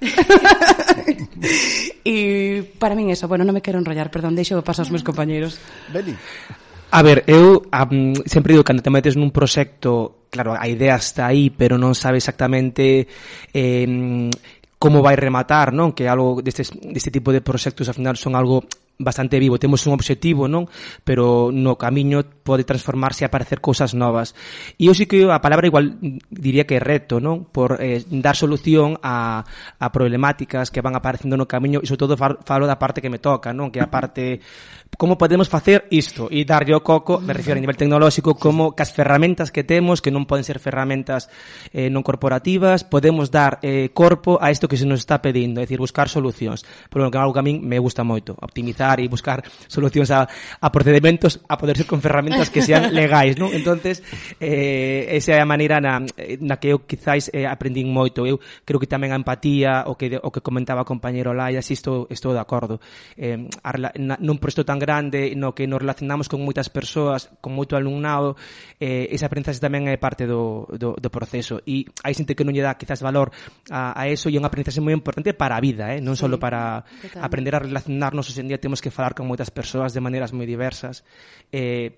E para min eso, bueno, non me quero enrollar, perdón, deixo pasar aos meus compañeiros. Beli. A ver, eu sempre digo, cando te metes nun proxecto, claro, a idea está aí, pero non sabe exactamente como vai rematar, non? Que algo deste tipo de proxectos ao final son algo bastante vivo, temos un obxectivo, non? Pero no camiño pode transformarse e aparecer cousas novas. E eu sí que a palabra igual diría que é reto, non? Por dar solución a problemáticas que van aparecendo no camiño, e sobre todo falo da parte que me toca, non? Que a parte como podemos facer isto e darlle o coco, me refiero a nivel tecnolóxico, como que as ferramentas que temos, que non poden ser ferramentas non corporativas, podemos dar corpo a isto que se nos está pedindo, é dicir, buscar solucións. Pero que algo que a min me gusta moito, optimizar e buscar solucións a procedimentos a poder ser con ferramentas que sean legais, non? Entonces, esa é a maneira na que eu quizáis aprendín moito. Eu creo que tamén a empatía, o que comentaba o compañeiro Laia, si estou de acordo. Nun proxecto tan grande no que nos relacionamos con moitas persoas, con moito alumnado, esa aprendizaxe tamén é parte do proceso, e hai xente que non lle dá quizás valor a eso, e é unha aprendizaxe moi importante para a vida, non só para aprender a relacionarnos. Hoxe en día temos que falar con moitas persoas de maneiras moi diversas,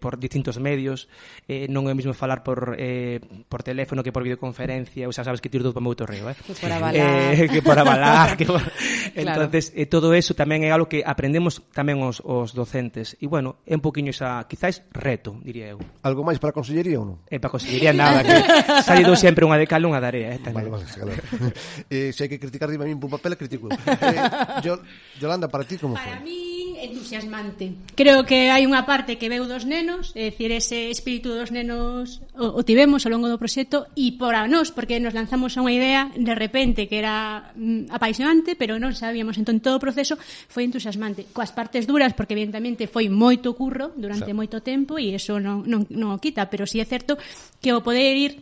por distintos medios, non é o mesmo falar por teléfono que por videoconferencia, ou xa sabes que tiro todo para o meu torreo, que por avalar, entonces todo eso tamén é algo que aprendemos tamén os docentes, e bueno, é un poquinho esa, quizáis, reto, diría eu. Algo máis para a consellería ou non? Para a consellería nada, que salido sempre unha de cal unha de area. Vale, claro. Se hai que criticar, dime a min por papel, critico. Yolanda, para ti como foi? Para mí, entusiasmante. Creo que hai unha parte que veu dos nenos, é dicir, ese espírito dos nenos o tivemos ao longo do proxecto, e para nós, porque nos lanzamos a unha idea de repente que era apaixonante, pero non sabíamos, entón todo o proceso foi entusiasmante, coas partes duras, porque evidentemente foi moito curro durante moito tempo, e iso non o quita, pero si é certo que o poder ir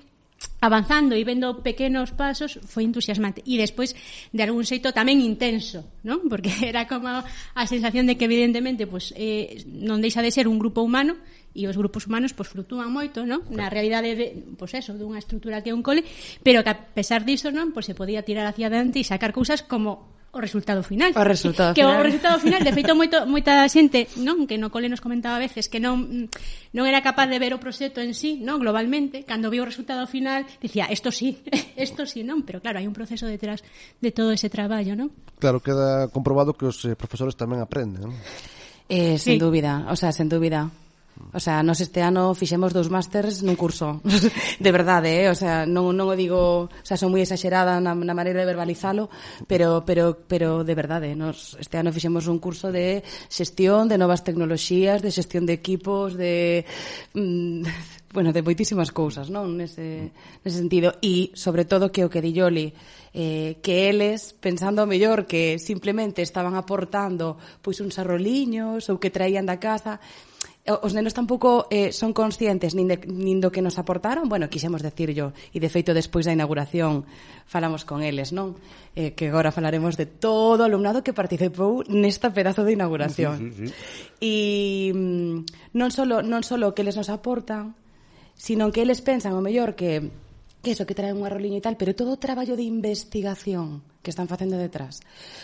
avanzando e vendo pequenos pasos foi entusiasmante, e despois de algún xeito tamén intenso, non? Porque era como a sensación de que evidentemente non deixa de ser un grupo humano, e os grupos humanos fluctúan moito, non? Na realidade dunha estrutura que é un cole, pero que a pesar disso, non, se podía tirar hacia adiante e sacar cousas como o resultado final. O resultado final, de feito, moita xente, non, que no cole nos comentaba a veces que non era capaz de ver o proxecto en sí, non, globalmente, cando viu o resultado final, dicía, isto sí, non, pero claro, hai un proceso detrás de todo ese traballo, non? Claro, queda comprobado que os profesores tamén aprenden, non? Sen dúbida, sen dúbida. Nos este ano fixemos 2 másters nun curso. De verdade, non o digo, son moi exagerada na maneira de verbalizalo, pero de verdade, este ano fixemos un curso de xestión de novas tecnoloxías, de xestión de equipos, de moitísimas cousas, non? Nese sentido, e sobre todo que o que dilloli, que eles, pensando mellor que simplemente estaban aportando uns arroliños ou que traían da casa, os nenos tampouco son conscientes nin do que nos aportaron. Bueno, quixemos decirlo, e de feito despois da inauguración falamos con eles, non? Que agora falaremos de todo o alumnado que participou nesta pedazo de inauguración. E non solo que eles nos aportan, sino que eles pensan o mellor que eso, que traen un arroliño e tal, pero todo o traballo de investigación que están facendo detrás,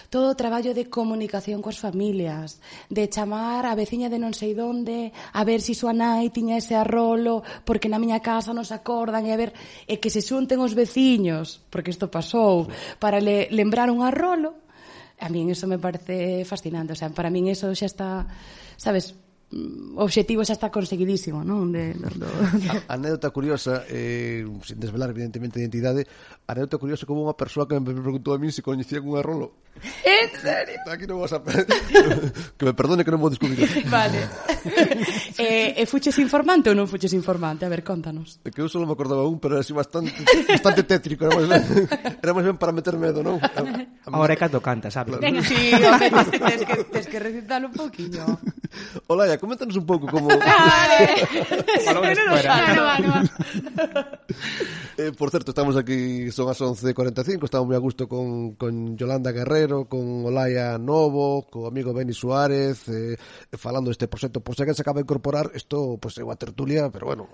todo o traballo de comunicación coas familias, de chamar a veciña de non sei donde a ver se súa nai tiña ese arrolo porque na miña casa non se acordan, e a ver, que se xunten os veciños, porque isto pasou, para lembrar un arrolo. A min eso me parece fascinante, para min eso xa está, sabes, o obxectivo xa está conseguidísimo, non? Anécdota curiosa, sin desvelar evidentemente a identidade, anécdota curiosa como unha persoa que me preguntou a min se coñecían un arrolo. En serio? Aquí non vas a... que me perdone que non vou descubrir. Vale. Fuches informante ou non fuches informante? A ver, contanos. Que eu só me acordaba un, pero era así bastante tétrico, era máis ben para meter medo, non? Ahora é canto canta, sabes? Venga, sí, tens que recitalo un poquinho. Olaya, coméntanos un pouco como... Vale. Por certo, estamos aquí, son as 11:45, estamos moi a gusto con Yolanda Guerrero, con Olaya Novo, co amigo Beni Suárez, falando deste proxecto. Por se que se acaba de incorporar, isto é unha tertulia, pero bueno,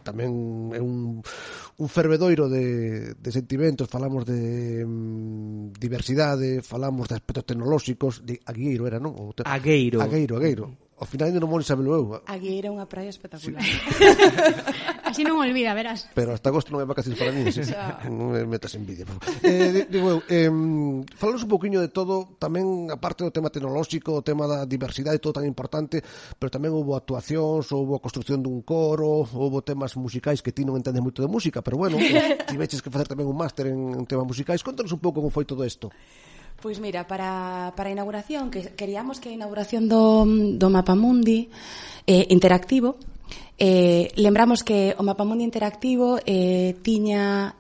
tamén é un fervedoiro de sentimentos. Falamos de diversidade, falamos de aspectos tecnolóxicos, de Agueiro era, non? Agueiro. Ao final ainda non vou sabelo eu. Agueiro é unha praia espectacular. Sí. Así non olvida, verás. Pero hasta agosto non hai vacacións para mí, sí. Non me metas envidia. Digo eu, falamos un poquinho de todo, tamén aparte do tema tecnolóxico, o tema da diversidade, todo tan importante, pero tamén houve actuacións, houve a construcción dun coro, houve temas musicais que ti non entendes moito de música, pero bueno, tiveches que facer tamén un máster en temas musicais. Contanos un pouco como foi todo isto. Pois mira, para a inauguración, que queríamos que a inauguración do Mapamundi interactivo, lembramos que o Mapamundi interactivo tiña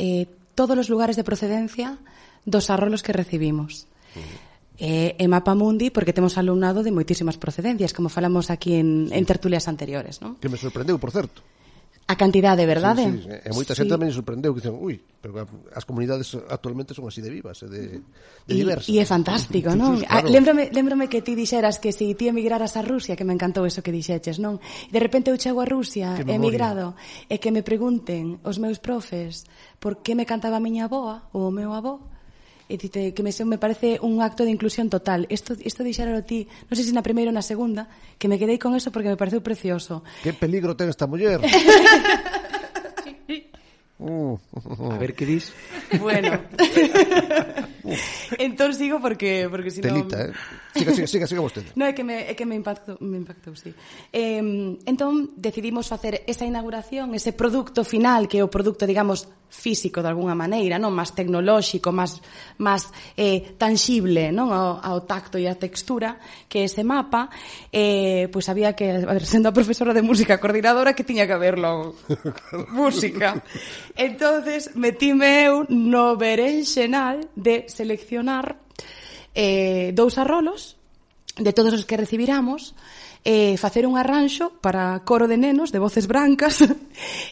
todos os lugares de procedencia dos arrolos que recibimos. E Mapamundi, porque temos alumnado de moitísimas procedencias, como falamos aquí en tertulias anteriores, non? Que me sorprendeu, por certo. A cantidade, verdade? Sí, e moita xente tamén me sorprendeu, que dicen, pero as comunidades actualmente son así de vivas, de diversas. E é fantástico, non? Claro. Lembrome que ti dixeras que se ti emigraras a Rusia, que me encantou eso que dixeches, non? De repente eu chego a Rusia, emigrado, e que me pregunten os meus profes por que me cantaba a miña avoa ou o meu avó, e dite que me parece un acto de inclusión total. Isto dixéralo ti, non sei se na primeira ou na segunda, que me quedei con eso porque me pareceu precioso. Que peligro ten esta muller. A ver que dis. Bueno. Entón sigo porque si non... Telita, siga vostede. No, é que me impactou, sí. Entón decidimos facer esa inauguración, ese produto final, que é o produto, digamos, físico de alguna maneira, non, máis tecnolóxico, máis tangible, non, ao tacto e á textura, que ese mapa, pois había que, a ver, sendo a profesora de música coordinadora, que tiña que haberlo música. Entonces metíme eu no berenxenal de seleccionar dous arrolos de todos os que recibiramos, facer un arranxo para coro de nenos de voces brancas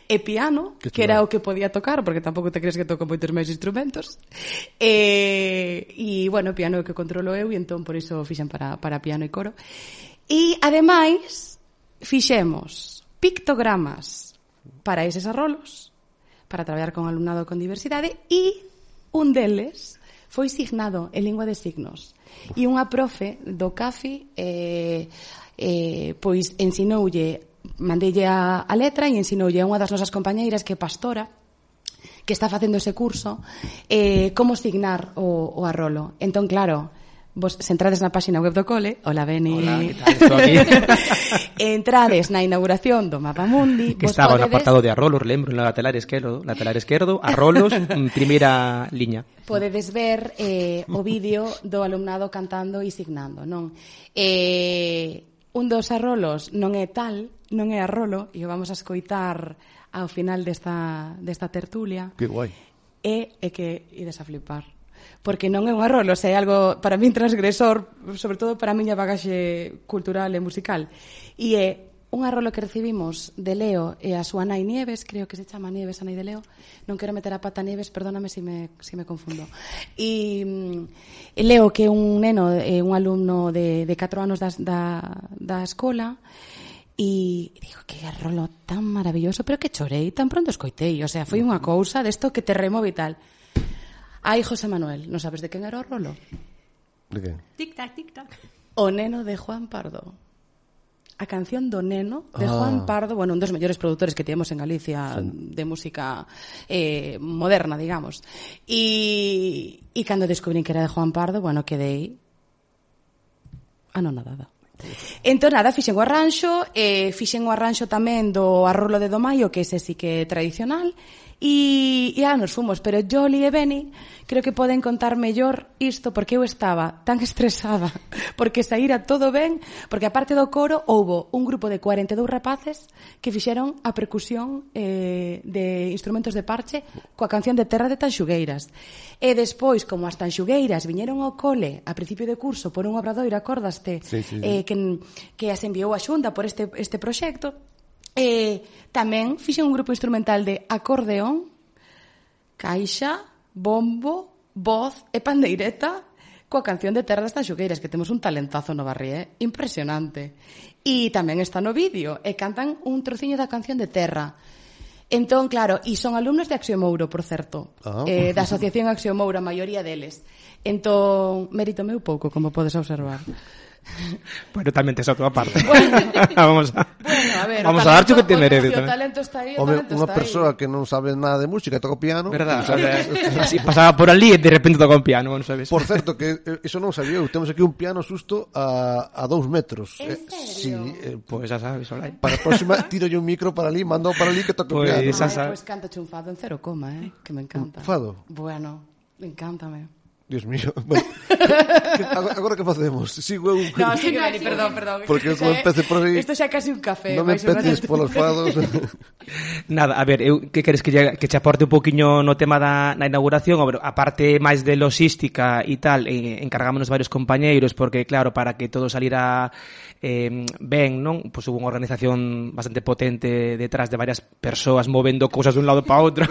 e piano, que era o que podía tocar, porque tampouco te crees que toco moitos máis instrumentos, e bueno, piano é o que controlo eu, e entón por iso fixen para piano e coro. E ademais fixemos pictogramas para eses arrolos, para traballar con alumnado con diversidade, e un deles foi signado en lingua de signos. E unha profe do CAFI pois ensinoulle, mandeille a letra e ensinoulle a unha das nosas compañeiras, que é pastora, que está facendo ese curso, como signar o arrolo. Entón, claro, vos se entrades na páxina web do cole, hola Beni, hola, que tal? Estou aquí. Entrades na inauguración do Mapamundi, que estaba no apartado de arrolos, lembro, en lateral esquerdo, arrolos, primeira liña. Podedes ver o vídeo do alumnado cantando e signando, non? Un dos arrolos non é tal, non é arrolo, e o vamos a escoitar ao final desta tertulia. Que guai. É que ides a flipar. Porque non é un arrolo, é algo para min transgresor, sobre todo para a miña bagaxe cultural e musical. E é un arrolo que recibimos de Leo e a súa nai Nieves, creo que se chama Nieves, a nai de Leo. Non quero meter a pata Nieves, perdóname se me confundo. E Leo, que é un neno, un alumno de 4 anos da escola, e digo, que arrolo tan maravilloso, pero que chorei, tan pronto escoitei. O sea, foi unha cousa desto que te remove e tal. Ai, José Manuel, non sabes de quen era o rolo? De que? Tic-tac, tic-tac. O neno de Juan Pardo. A canción do neno de Juan Pardo, bueno, un dos mellores produtores que temos en Galicia, de música moderna, digamos. E cando descubrín que era de Juan Pardo, bueno, quedei anonadada. Entón, nada, fixen o arranxo tamén do arrolo de Domaio, que ese sí que é tradicional, e nos fomos, pero Joli e Beni creo que poden contar mellor isto, porque eu estaba tan estresada porque saíra todo ben, porque a parte do coro houbo un grupo de 42 rapaces que fixeron a percusión de instrumentos de parche coa canción de Terra de Tanxugueiras, e despois, como as tanxugueiras viñeron ao cole a principio de curso por un obradoiro, acordaste, que as enviou a Xunta por este proxecto, tamén fixen un grupo instrumental de acordeón caixa, bombo, voz e pandeireta coa canción de Terra das Tanxugueiras, que temos un talentazo no Barri, impresionante. E tamén está no vídeo, e cantan un trociño da canción de Terra. Entón, claro, e son alumnos de Axiomouro, por certo, da Asociación Axiomouro, a maioría deles. Entón, mérito meu pouco, como podes observar. Bueno, tamén tes a tua parte. Bueno, vamos a ver, vamos a darte o que te merece. O talento está aí, o Home, talento unha está persoa que non sabe nada de música e toca o piano, verdad, así pasaba por ali e de repente toca un piano, non sabes. Por certo, que iso non sabía eu, temos aquí un piano xusto a 2 metros. En serio? Pois xa sabes, Olai. Para a próxima tiro yo un micro para ali, mando para ali que toque o piano. Pois canta un fado en 0, que me encanta. Un fado? Bueno, encántame. Dios mío. Bueno, agora que facemos? Sigo eu... No, sigue, Beni, perdón. Porque non empece por aí... Isto xa é casi un café. Non me empeces polos fados. Nada, a ver, que queres que te aporte un poquinho no tema da inauguración? A parte máis de logística e tal, encargámonos varios compañeiros, porque claro, para que todo salira ben, non? Pois hubo unha organización bastante potente detrás de varias persoas movendo cousas dun lado para outro.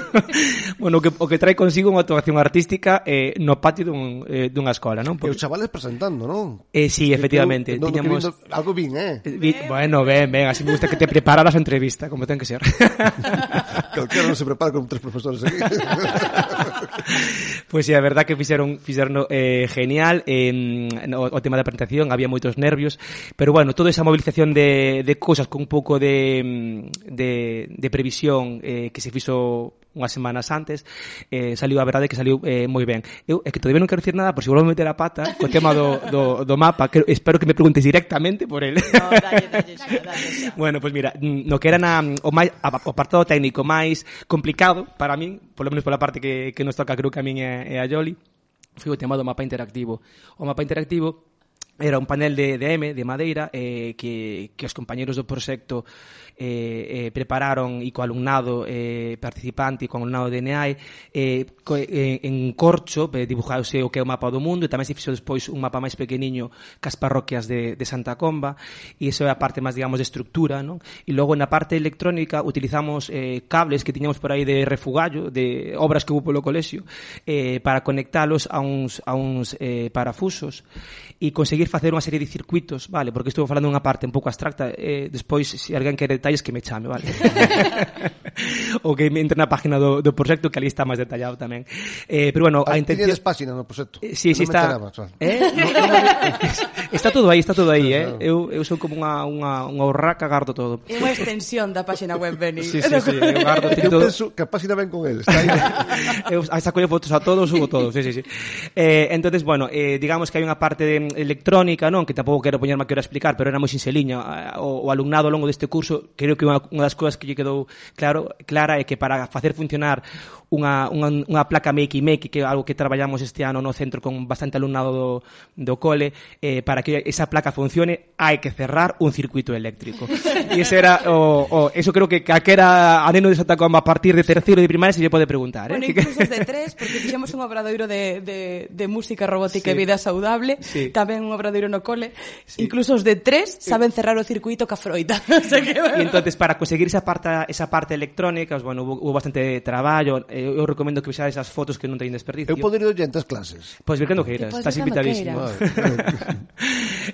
Bueno, o que trae consigo unha actuación artística no patio dunha escola, non? Porque... E os chavales presentando, non? Sí, efectivamente. Tiñamos... Algo bien, Bueno, ben, así me gusta que te prepararas a entrevista, como ten que ser. Calquera non se prepara con 3 profesores aquí. Pois sí, a verdad que fixeron genial. O tema da presentación, había moitos nervios, pero bueno, toda esa movilización de cousas con un pouco de previsión que se fixo unhas semanas antes, saliu, a verdade que saliu moi ben. Eu é que todavía non quero dicir nada, por se volvo a meter a pata co tema do mapa, que espero que me preguntes directamente por ele. No, dalle. Bueno, pois mira, no que era o apartado técnico máis complicado para min, polo menos pola parte que nos toca, creo que a min e a Yoli, foi o tema do mapa interactivo. O mapa interactivo era un panel de madeira que os compañeros do proxecto prepararon e co alumnado participante e co alumnado de NEAE en corcho dibujaose o que é o mapa do mundo, e tamén se fixo despois un mapa máis pequeniño cas parroquias de Santa Comba, e iso é a parte máis, digamos, de estructura, non? E logo na parte electrónica utilizamos cables que tiñamos por aí de refugallo, de obras que hubo polo colexio, para conectalos a uns parafusos e conseguir facer unha serie de circuitos, vale? Porque estou falando unha parte un pouco abstracta, despois se alguén quere detalles que me chame, vale? Ou que me entre na página do proxecto, que ali está máis detallado tamén. Pero bueno, a intención... Tiñedes página no proxecto? Sí, está... Está todo aí, Eu sou como unha horraca, gardo todo. É unha extensión da página web, Beni. Sí, eu gardo eu penso que a página ven con eles, está aí. Eu saco fotos a todos, subo todo, sí. Entonces, bueno, digamos que hai unha parte electrónica, non? Que tampouco quero poñerme aquí a explicar, pero era moi sinxeliña. O alumnado ao longo deste curso, creo que unha das cousas que lle quedou clara é que para facer funcionar unha placa Makey, que é algo que traballamos este ano no centro con bastante alumnado do cole, para que esa placa funcione hai que cerrar un circuito eléctrico. E ese era eso creo que calquera a neno de Santa Comba a partir de terceiro de primaria se lle pode preguntar, Bueno, incluso os de 3, porque fixemos un obradoiro de música robótica e vida saudable, tamén un obradoiro no cole, incluso os de 3 saben cerrar o circuito ca froita. E entonces para conseguir esa parte electrónica, bueno, hubo bastante traballo. Eu recomendo que vexades as fotos que non teñen desperdicio. Eu poder ir oyente as clases. Pois vir cando queiras, estás invitadísimo.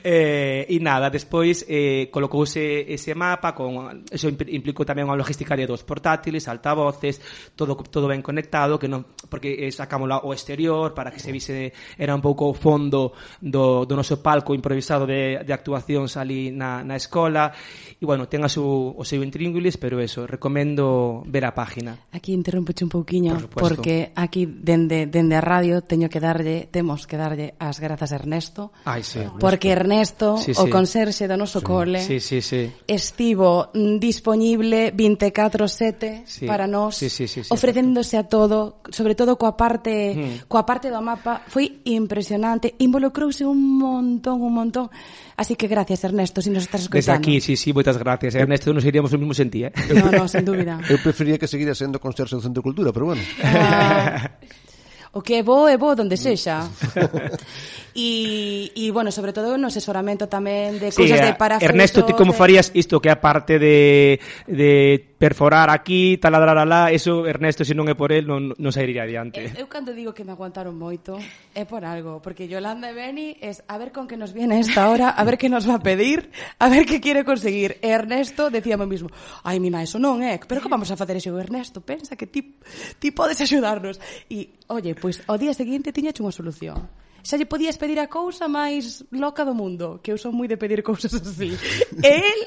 E nada, despois colocouse ese mapa, eso implicou tamén unha logística de 2 portátiles, altavoces, todo ben conectado, que non, porque sacamos o exterior para que se vise, era un pouco o fondo do noso palco improvisado de actuacións ali na escola. E bueno, ten o seu intríngulis, pero eso, recomendo ver a página. Aquí interrompeche un pouquiño, porque aquí dende a radio temos que darlle as grazas a Ernesto. Porque Ernesto, o conserxe do noso cole, estivo dispoñible 24/7 para nós, ofrecéndose a todo, sobre todo coa parte do mapa. Foi impresionante, involucrouse un montón. Así que gracias, Ernesto, si nos estás escoitando. Desde aquí, moitas gracias. Ernesto, nos iríamos o mismo sen ti, No, sen dúbida. Eu prefería que seguira sendo conserxe do Centro de Cultura, pero bueno. O que é bo donde sexa. E bueno, sobre todo no asesoramento tamén de cousas de parafusos. Ernesto, ti como farías isto que a parte de perforar aquí, taladrar alá, eso Ernesto, se non é por el, non sairía adiante. Eu cando digo que me aguantaron moito é por algo, porque Yolanda e Beni es a ver con que nos viene esta hora, a ver que nos va a pedir, a ver que quiere conseguir. E Ernesto decíame mismo, ai, mina, eso non é, pero que vamos a facer eso? Ernesto, pensa que ti podes axudarnos. E, oye, pois ao día seguinte tiñache unha solución. Xa lle podías pedir a cousa máis loca do mundo, que eu son moi de pedir cousas así. E él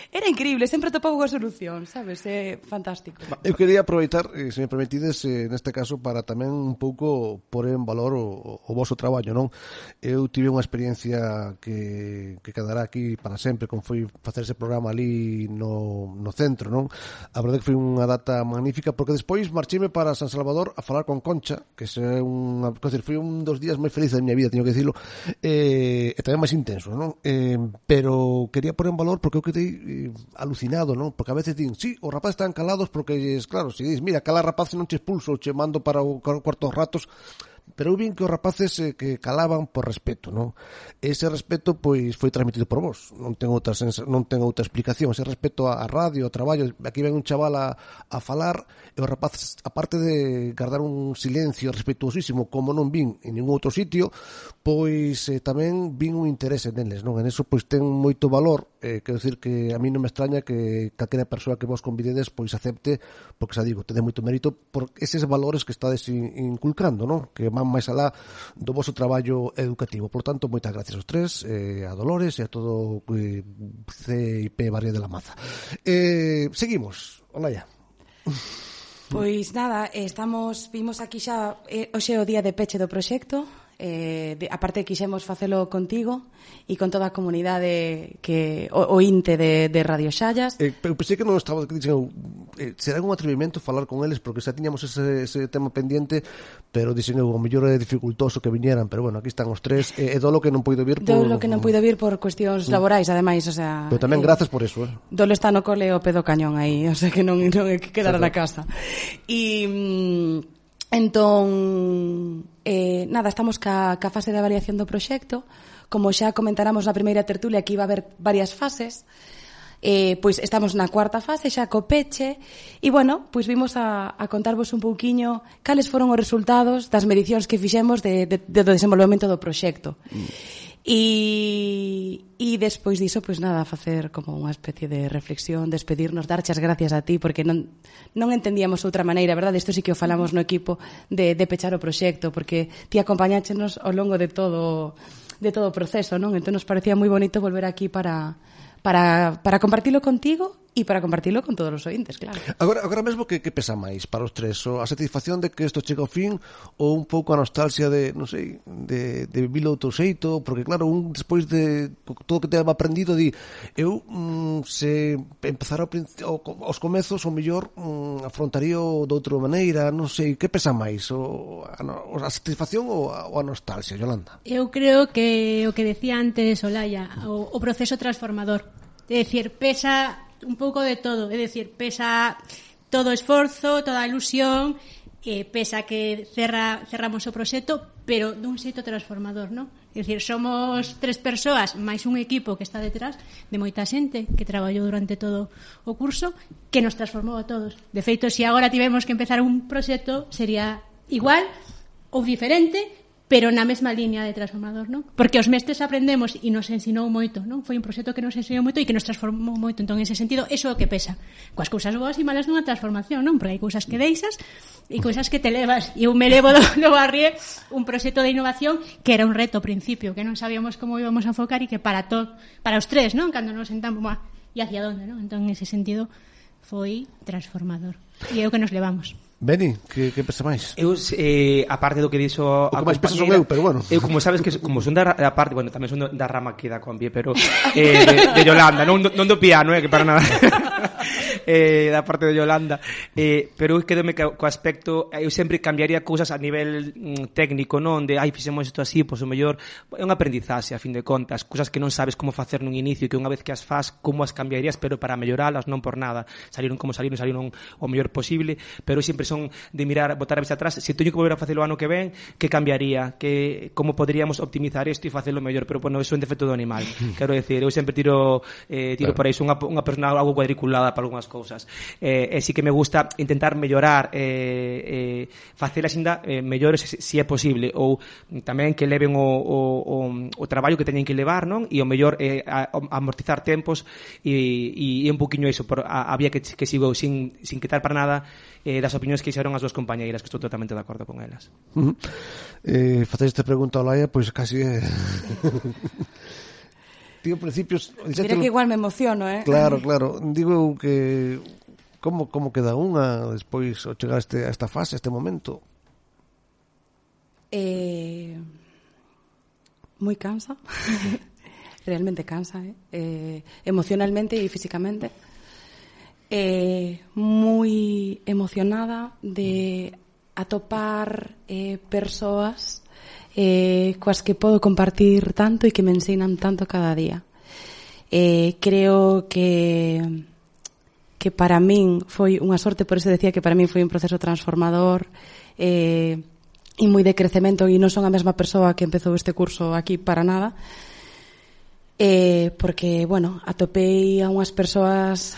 era increíble, sempre topaba unha solución, sabes? É fantástico. Eu quería aproveitar, se me permitides, neste caso, para tamén un pouco pôr en valor o vosso traballo, non? Eu tive unha experiencia que quedará aquí para sempre, como foi facer ese programa ali no centro, non? A verdade que foi unha data magnífica, porque despois marcheime para San Salvador a falar con Concha, que foi un dos días moi felices da miña vida, teño que dicilo, e tamén máis intenso, non? Pero quería pôr en valor porque eu quedei alucinado, non? Porque a veces din, sí, os rapaces están calados porque, claro, se dis, mira, cala rapaz non che expulso, che mando para o cuarto dos ratos, pero eu vin que os rapaces que calaban por respeto, non? Ese respeto pois foi transmitido por vos, non ten outra explicación. Ese respeto a radio, ao traballo, aquí ven un chaval a falar e os rapaces, aparte de guardar un silencio respetuosísimo como non vin en ningún outro sitio, pois tamén vin un interese neles, non? En eso pois ten moito valor, quero dicir que a mí non me extraña que calquera persoa que vos convidedes pois acepte, porque xa digo, tede moito mérito por eses valores que estades inculcando, non? Que van máis alá do vosso traballo educativo. Por tanto, moitas gracias aos tres, a Dolores e a todo CIP Barrio de la Maza. Seguimos. Olaya. Pois nada, vimos aquí xa hoxe o día de peche do proxecto. Aparte quixemos facelo contigo e con toda a comunidade que o INTE de Radio Xallas. Pero pensei que non estaba será un atrevimento falar con eles porque xa tiñamos ese tema pendiente, pero dixen eu, o mellor é dificultoso que viñeran, pero bueno, aquí están os tres, e Dolo que non puido vir por cuestións laborais, ademais, o sea, pero tamén grazas por eso, Dolo está no cole o pedo cañón aí, o sea que non é que quedara na casa. Entón, nada, estamos ca fase de avaliación do proxecto. Como xa comentáramos na primeira tertulia que iba a haber varias fases, pois estamos na cuarta fase xa co peche e, bueno, pois vimos a contarvos un pouquiño cales foron os resultados das medicións que fixemos do desenvolvemento do proxecto. E despois diso, pois nada, facer como unha especie de reflexión, despedirnos, darche as gracias a ti, porque non entendíamos outra maneira, verdade? Isto sí que o falamos no equipo de pechar o proxecto, porque ti acompañáchenos ao longo de todo o proceso, non? Entón nos parecía moi bonito volver aquí para compartilo contigo e para compartilo con todos os ointes, claro. Agora mesmo que pesa máis para os tres? A satisfacción de que isto chega ao fin ou un pouco a nostalgia de, non sei, de vivilo outro xeito? Porque claro, un despois de todo o que te ha aprendido eu se empezar aos comezos o mellor afrontaría de outra maneira, non sei, que pesa máis? A satisfacción ou a nostalgia, Yolanda? Eu creo que o que decía antes Olaya, o proceso transformador. É dicir, pesa un pouco de todo, é dicir, pesa todo o esforzo, toda a ilusión, pesa que cerramos o proxecto, pero dun xeito transformador, non? É dicir, somos 3 persoas máis un equipo que está detrás de moita xente que traballou durante todo o curso, que nos transformou a todos. De feito, se agora tivemos que empezar un proxecto, sería igual ou diferente, pero na mesma línea de transformador, non? Porque os mestres aprendemos e nos ensinou moito, non? Foi un proxecto que nos ensinou moito e que nos transformou moito. Entón, en ese sentido, eso é o que pesa. Coas cousas boas e malas dunha transformación, non? Porque hai cousas que deixas e cousas que te levas. E eu me levo do Barrié un proxecto de innovación que era un reto ao principio, que non sabíamos como íbamos a enfocar e que para os tres, non? Cando nos sentamos, e hacia onde, non? Entón, en ese sentido, foi transformador. E é o que nos levamos. Beni, que pesa máis? Eu, aparte do que dixo a compañera, peso son eu, pero bueno. Eu, como sabes que como son da parte, bueno, tamén son da rama que da combi, pero de Yolanda, non do piano, que para nada. Da parte de Yolanda, pero eu quedome co aspecto, eu sempre cambiaría cousas a nivel técnico, non? De, fixemos isto así, pois o mellor é un aprendizaxe, a fin de contas, cousas que non sabes como facer nun inicio, que unha vez que as faz, como as cambiarías, pero para melloralas, non por nada. Salieron o mellor posible, pero sempre son de mirar, botar a vista atrás, se teño que volver a facelo o ano que ven, que cambiaría, que como poderíamos optimizar isto e facelo mellor, pero bueno, eso é un defecto do animal. Quero decir, eu sempre tiro por aí, son unha persona algo cuadriculada para algunhas cousas. E sí que me gusta intentar mellorar, facelas ainda mellores se é posible, ou tamén que leven o traballo que teñen que levar, non? E o mellor amortizar tempos e un poquinho iso, había que sigo sin quitar para nada das opinións que hixeron as dúas compañeiras, que estou totalmente de acordo con elas. Faceis esta pregunta ao Laia, pois casi é... Tío, principios... Mira que igual me emociono, Claro. Digo que... Como queda unha despois ao chegar a esta fase, a este momento? Moi cansa. Realmente cansa, emocionalmente e físicamente. Moi emocionada de atopar persoas coas que podo compartir tanto e que me ensinan tanto cada día. Creo que para min foi unha sorte, por eso decía que para min foi un proceso transformador e moi de crecemento, e non son a mesma persoa que empezou este curso aquí para nada, porque, bueno, atopei a unhas persoas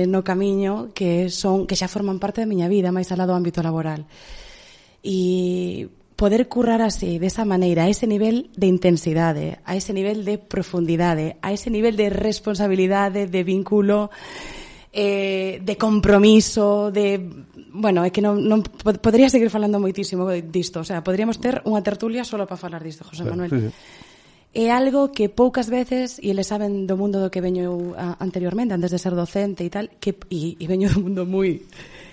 no camiño que xa forman parte da miña vida, máis alá do ámbito laboral. E poder currar así, desa maneira, a ese nivel de intensidade, a ese nivel de profundidade, a ese nivel de responsabilidade, de vínculo, de compromiso, de... Bueno, é que non podría seguir falando moitísimo disto, o sea, podríamos ter unha tertulia solo para falar disto, José Manuel. Sí. É algo que poucas veces, e eles saben do mundo do que veño eu anteriormente, antes de ser docente e tal, e veño do mundo moi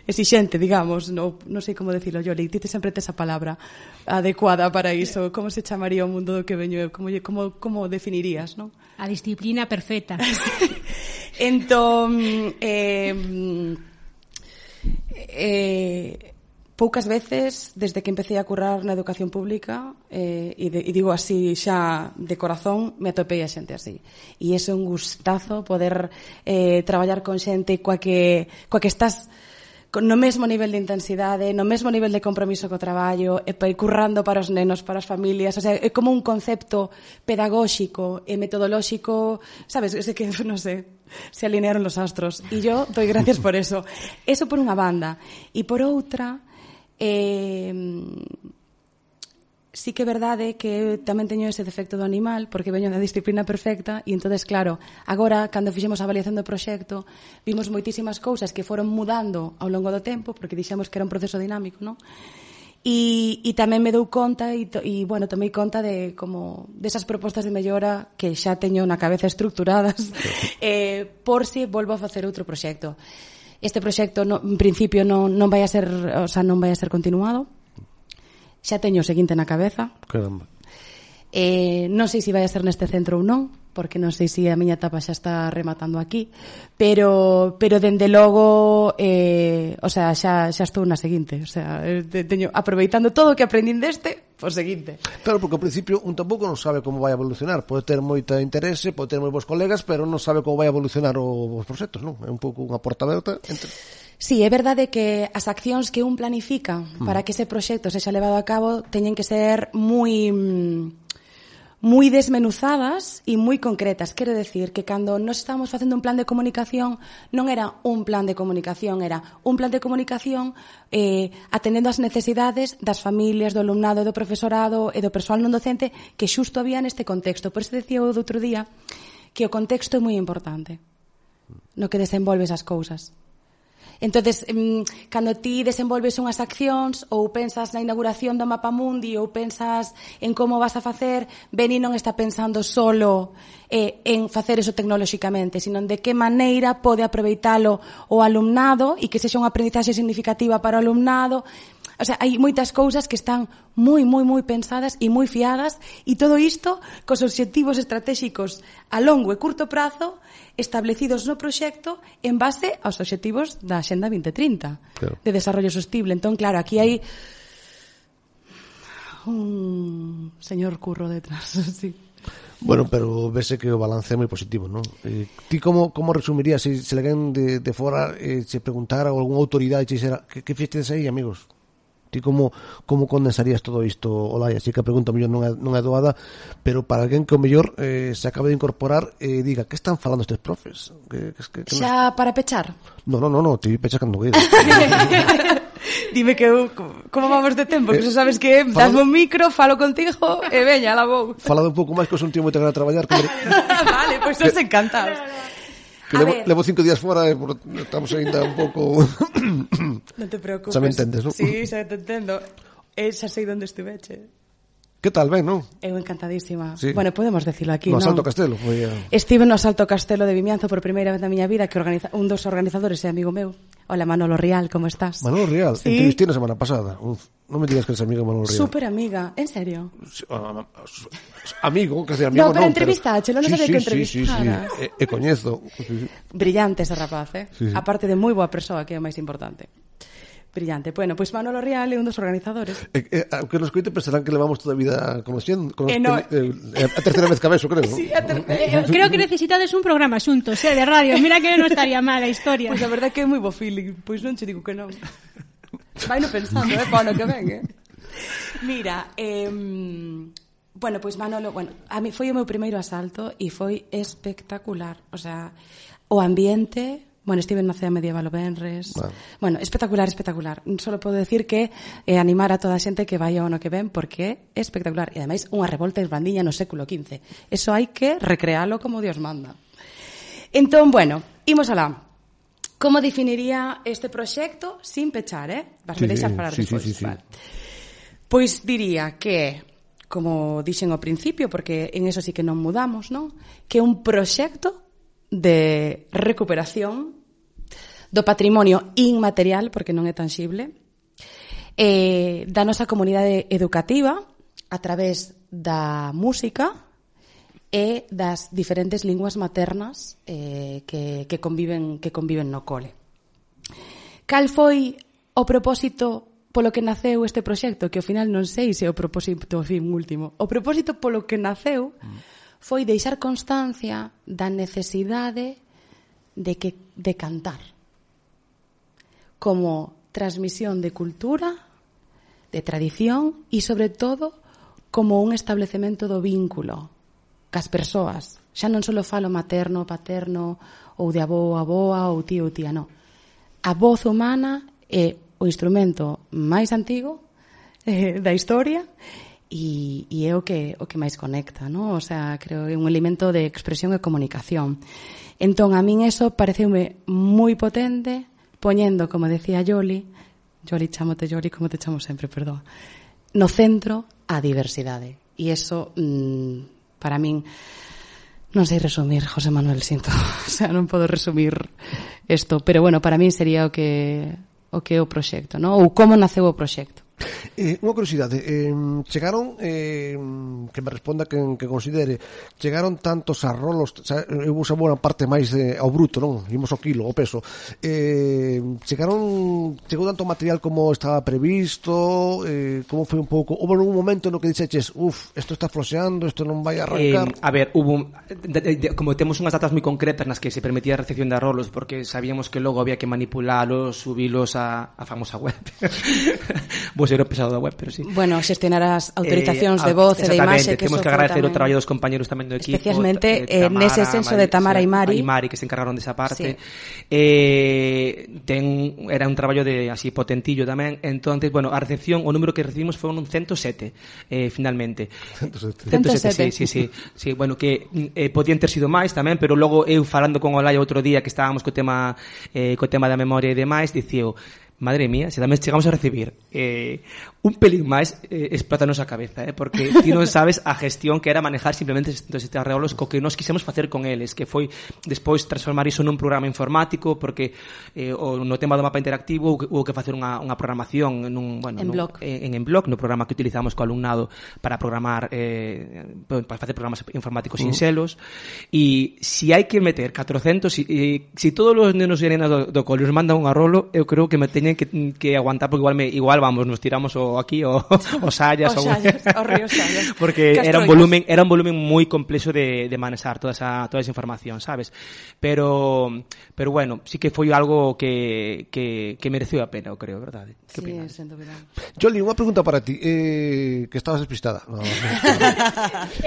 exixente, digamos, non sei como decirlo, Yoli, ti sempre tes a palabra adecuada para iso. Como se chamaría o mundo do que veño eu? Como definirías, non? A disciplina perfecta. Entón, poucas veces, desde que empecé a currar na educación pública, e digo así xa de corazón, me atopei a xente así. E é un gustazo poder traballar con xente coa que estás no mesmo nivel de intensidade, no mesmo nivel de compromiso co traballo, e currando para os nenos, para as familias, o sea, é como un concepto pedagóxico e metodolóxico, sabes, é que, non sei, se alinearon los astros, e yo doy gracias por eso. Eso por unha banda. E por outra, sí que é verdade que tamén teño ese defecto do animal, porque veño da disciplina perfecta, e entonces, claro, agora, cando fixemos a avaliación do proxecto, vimos moitísimas cousas que foron mudando ao longo do tempo, porque dixemos que era un proceso dinámico, non? E tamén me dou conta, e bueno, tomei conta de como desas propostas de mellora que xa teño na cabeza estructuradas, por si volvo a facer outro proxecto. Este proxecto, en principio, non vai a ser, o sea, non vai a ser continuado. Xa teño o seguinte na cabeza. Caramba. Non sei se vai a ser neste centro ou non, porque non sei se a miña etapa xa está rematando aquí, pero dende logo, o sea, xa estou na seguinte, o sea, teño aproveitando todo o que aprendín deste, o seguinte. Claro, porque ao principio un tampouco non sabe como vai a evolucionar, pode ter moita interese, pode ter moi bons colegas, pero non sabe como vai a evolucionar os proxectos, non? É un pouco unha porta aberta entre... Sí, é verdade que as accións que un planifica para que ese proxecto sexa levado a cabo teñen que ser moi desmenuzadas e moi concretas. Quero decir que cando nos estábamos facendo un plan de comunicación, non era un plan de comunicación, era un plan de comunicación atendendo as necesidades das familias, do alumnado, do profesorado e do persoal non docente que xusto había neste contexto. Por eso decía eu do outro día que o contexto é moi importante no que desenvolves as cousas. Entonces, cando ti desenvolves unhas accións ou pensas na inauguración do Mapa Mundi ou pensas en como vas a facer, Beni non está pensando solo en facer eso tecnolóxicamente, sino de que maneira pode aproveitalo o alumnado e que sexa unha aprendizaxe significativa para o alumnado. O sea, hai moitas cousas que están moi pensadas e moi fiadas, e todo isto cos obxectivos estratégicos a longo e curto prazo establecidos no proxecto en base aos obxectivos da Axenda 2030 claro. De desarrollo sostible. Entón, claro, aquí hai un señor curro detrás, sí. Bueno, pero vese que o balance é moi positivo, non? Ti como resumirías se alguén de fora se preguntara ou algunha autoridade que fixetes aí, amigos? Ti como condensarías todo isto, Olaya? Así que a pregunta mellor non é doada, pero para alguén que o mellor se acabe de incorporar diga, que están falando estes profes? Que xa para pechar? No, ti pechas cando queira. Dime que como vamos de tempo, que xa sabes que dasme un micro, falo contigo e veña, la vou. Falado un pouco máis que os un tío moito que a traballar. Vale, pois os encantados. Que levo 5 días fora e estamos ainda un pouco... Non te preocupes. Xa me entendes, non? Sí, xa te entendo. Xa sei onde estuveche. Que tal, ben, non? Eu encantadísima. Sí. Bueno, podemos decirlo aquí, no non? Asalto Castelo. Estive no Asalto Castelo de Vimianzo por primeira vez na miña vida, que un dos organizadores é amigo meu. Hola, Manolo Rial, como estás? Manolo Rial, sí. Entrevisté na semana pasada. Non me digas que eres amigo de Manolo Rial. Súper amiga, en serio? Amigo, que sea amigo no, pero entrevistache, non sabía que entrevistara. E coñezo. Brillante ese rapaz, Sí. Aparte de moi boa persoa, que é o máis importante. Brillante. Bueno, pois Manolo Rial é un dos organizadores. Aunque nos coite pensarán que levamos toda a vida conociendo. No. A terceira vez que a beso, creo. Sí, creo que necesitades un programa xuntos, de radio. Mira que non estaría mal a historia. Pois a verdade que é moi bo feeling. Pois non che digo que non. Vai no pensando, para no que ven, Mira, bueno, pois Manolo, a mí foi o meu primeiro asalto e foi espectacular. O sea, o ambiente... Bueno, estive na Cea Medieval o Benres. Bueno, espectacular. Solo podo decir que animar a toda a xente que vai ao ano que ven, porque é espectacular. E ademais, unha revolta esbandiña no século XV. Eso hai que recrealo como Dios manda. Entón, bueno, imos alá. Como definiría este proxecto sin pechar, Vas me deixar falar despois. Sí. Vale. Pois diría que, como dixen ao principio, porque en eso sí que non mudamos, non? Que é un proxecto de recuperación do patrimonio inmaterial, porque non é tangible, da nosa comunidade educativa a través da música e das diferentes linguas maternas que conviven no cole. Cal foi o propósito polo que naceu este proxecto? Que ao final non sei se é o propósito fin último. O propósito polo que naceu foi deixar constancia da necesidade de cantar como transmisión de cultura, de tradición e, sobre todo, como un establecemento do vínculo cas persoas. Xa non só falo materno, paterno, ou de avó, aboa, ou tío, tía, non. A voz humana é o instrumento máis antigo da historia e é o que máis conecta, non? O sea, creo que é un elemento de expresión e comunicación. Entón, a min eso pareceume moi potente, poñendo, como decía Yoli, chámote Yoli, como te chamo sempre, perdón, no centro a diversidade. E eso, para min, non sei resumir, José Manuel, sinto. O sea, non podo resumir isto, pero bueno, para min sería o que é o proxecto, non? Ou como naceu o proxecto. Unha curiosidade, chegaron, que me responda quen que considere, chegaron tantos arrolos, eu uso boa parte máis ao bruto, non? Imos ao kilo, ao peso. Chegou tanto material como estaba previsto, como foi un pouco, houve un momento no que dixeches, isto está floxeando, isto non vai a arrancar. A ver, como temos unhas datas moi concretas nas que se permitía a recepción de arrolos, porque sabíamos que logo había que manipularlos, subilos a famosa web. Vos ser o pesado da web, pero sí. Bueno, xestionar as autorizacións de voz e de imaxe, que temos que agradecer o traballo dos compañeros tamén do equipo, especialmente nese senso de Tamara e Mari, que se encargaron desa parte. Sí. Era un traballo de así potentillo tamén. Entonces, bueno, a recepción, o número que recibimos foi un 107, finalmente. 107, sí, bueno, que podían ter sido máis tamén, pero logo eu falando con Olaya outro día que estábamos co tema da memoria e demais, dicío, madre mía, se tamén chegamos a recibir un pelín máis, explótanos a cabeza, porque ti non sabes a gestión que era manejar simplemente estes arreolos co que nos quisemos facer con eles, que foi despois transformar iso nun programa informático, porque no tema do mapa interactivo houve que facer unha programación en blog, no programa que utilizamos co alumnado para programar, para facer programas informáticos sinxelos, e se hai que meter 400, se todos os nenos e nenas do cole os mandan un arrolo, eu creo que me teñen que aguantar, porque igual vamos, nos tiramos o o aquí o Sallas o río Sallas. Porque era un volumen moi complexo de manejar toda esa información, sabes? Pero bueno, sí que foi algo que mereceu a pena, eu creo, verdade? Sí, sen dúbida. Jolly, unha pregunta para ti, que estabas despistada. No.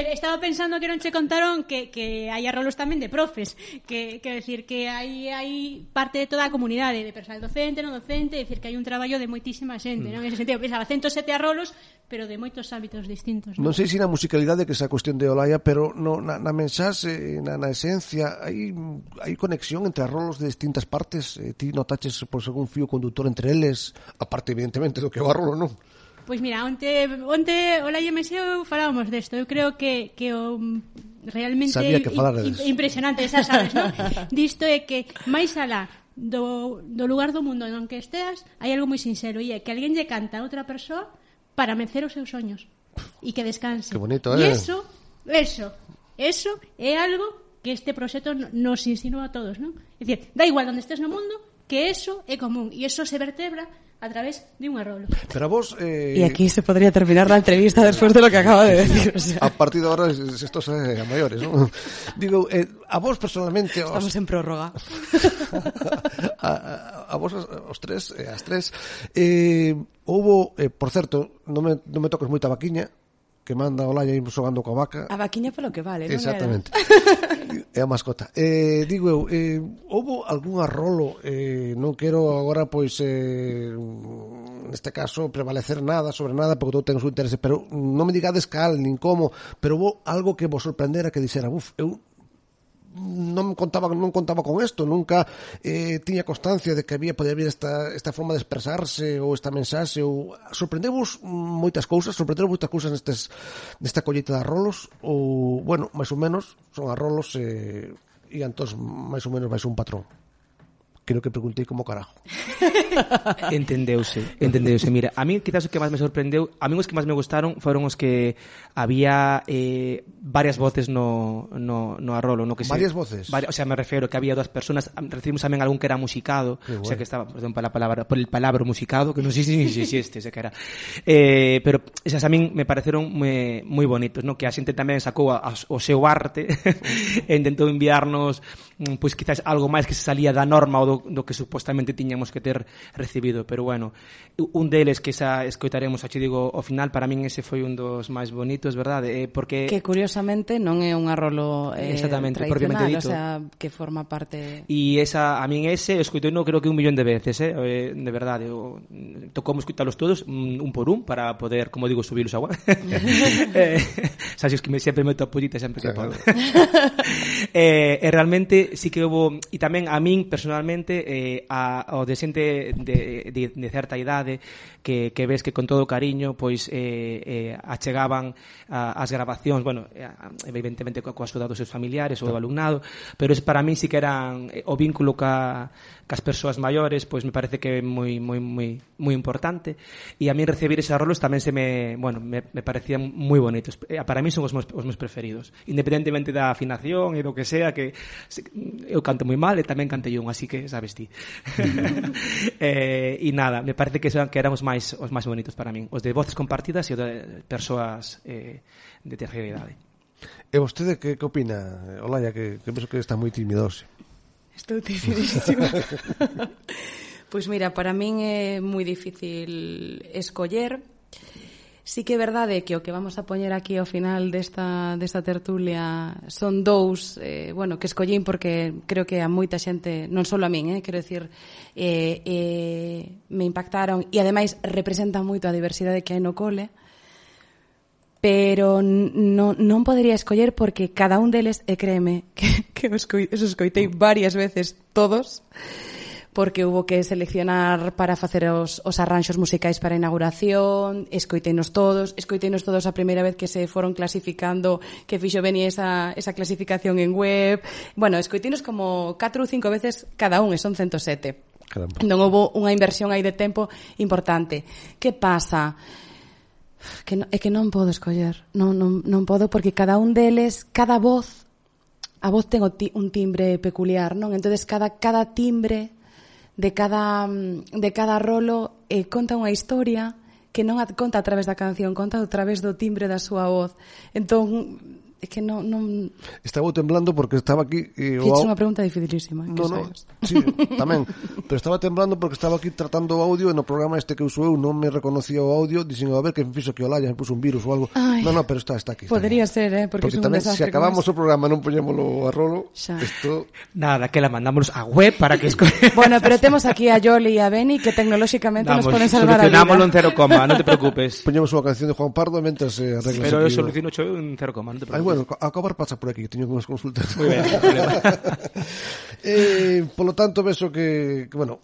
Estaba pensando que non che contaron que hai arrolos tamén de profes, que decir que hai parte de toda a comunidade de personal docente, non docente, decir que hai un traballo de moitísima xente, non? En ese sentido, pensaba 107 arrolos, pero de moitos ámbitos distintos, non sei se na musicalidade que esa cuestión de Olaya, pero na mensaxe, na esencia, hai conexión entre arrolos de distintas partes. Ti notaches por algún fío conductor entre eles, aparte evidentemente do que o arrolo, non? Pois mira, onte Olaya e Meseo falábamos desto. Eu creo que o realmente impresionante, xa sabes, non? Disto é que máis alá do lugar do mundo en que esteas, hai algo moi sincero, e é que alguén lle canta a outra persoa para vencer os seus soños e que descanse. Que bonito, E eso é algo que este proxecto nos insinúa a todos, non? É dicir, da igual onde estés no mundo, que eso é común e eso se vertebra a través de un arrolo. Pero a vos... Y aquí se podría terminar la entrevista después de lo que acaba de decir. O sea. A partir de ahora, esto es a mayores, ¿no? Digo, a vos personalmente... Estamos en prórroga. a vos, os tres, as tres, houbo, por certo, non me toques moita vaquiña, que manda Olaya ir xogando coa vaca. A vaquiña polo que vale, non? Exactamente. É a mascota. Digo eu, houbo algún arrolo, non quero agora, pois, neste caso, prevalecer nada sobre nada, porque todo ten o seu interese, pero non me digades cal, nin como, pero houbo algo que vos sorprendera, que dixera, eu non contaba con isto, nunca tiña constancia de que podía haber esta forma de expresarse ou esta mensaxe, ou sorprendevos moitas cousas nesta colleita de arrolos, ou, bueno, máis ou menos son arrolos e entón máis ou menos vais un patrón. Creo que preguntei como carajo. Entendeuse. Mira, a mí quizás o que máis me sorprendeu, a mí os que máis me gustaron foron os que había varias voces no arrolo, no que varias voces. O sea, me refiero que había dúas personas, recibimos tamén algún que era musicado, bueno. O sea, que estaba, perdón, por el palabra musicado, que non sei se existe, ese que era. Pero esas a min me pareceron moi bonitos, no? Que a xente tamén sacou o seu arte e intentou enviarnos pois quizás algo máis que se salía da norma ou do que supostamente tiñamos que ter recibido, pero bueno, un deles que xa escoitaremos, xa digo, ao final, para min ese foi un dos máis bonitos, verdade? Porque que curiosamente non é un arrolo propiamente dito, o sea, que forma parte. E esa, a min ese escoitei no creo que 1 millón de veces, de verdade, tocou escoitalos todos un por un para poder, como digo, subilos agua. Sabes que sempre meto a pollita sempre que podo. E realmente sí que houve, e tamén a min personalmente ao de xente de certa idade que ves que con todo cariño pois achegaban as grabacións, bueno, evidentemente coa axuda dos seus familiares ou do alumnado, pero para mí sí que eran o vínculo cas persoas maiores, pois me parece que é moi importante, e a mí recibir eses arrolos tamén me parecían moi bonitos. Para mí son os meus preferidos, independentemente da afinación e do que sea, que eu canto moi mal e tamén cantei un, así que sabes ti. E nada, me parece que eran os máis bonitos para min, os de voces compartidas e os de persoas de terceira idade. E vostede que opina, Olaya, que penso que está moi timidoso? Estou timidísima. Pois mira, para min é moi difícil escoller. Sí que é verdade que o que vamos a poñer aquí ao final desta tertulia son dous, que escollín porque creo que a moita xente, non só a min, quero dicir, me impactaron e ademais representan moito a diversidade que hai no cole, pero non podería escoller porque cada un deles, e créeme que os escoitei varias veces todos, porque hubo que seleccionar para facer os arranxos musicais para a inauguración, escoiteinos todos a primeira vez que se foron clasificando, que fixo venir esa clasificación en web. Bueno, escoiteinos como 4 ou 5 veces cada un, e son 107. Caramba. Non houve unha inversión aí de tempo importante. Que pasa? É que non podo escoller. Non podo porque cada un deles, cada voz, a voz ten un timbre peculiar, non? Entonces cada timbre de cada rolo conta unha historia que non conta a través da canción, conta a través do timbre da súa voz. Entón, é que non... Estaba temblando porque estaba aquí... Fixe unha pregunta dificilísima. Sí, tamén. Pero estaba temblando porque estaba aquí tratando o audio e no programa este que uso eu non me reconocía o audio, dixen, a ver, que me fixo que Olaya, me puso un virus ou algo. Ay, no, pero está aquí. Podría ser, porque é un tamén, desastre. se acabamos o programa non poñémolo a rolo, isto... Nada, que la mandamos a web para que... Bueno, pero temos aquí a Yoli e a Beni que tecnolóxicamente nos poden salvar a vida. Solucionámoslo en 0, non te preocupes. Poñemos unha canción de Juan Pardo mentras se arregla. Pero eu soluciono en 0, non te preocupes. Bueno, a acabar pasa por aquí, teño unhas consultas. Muy ben, polo tanto, vexo que, bueno,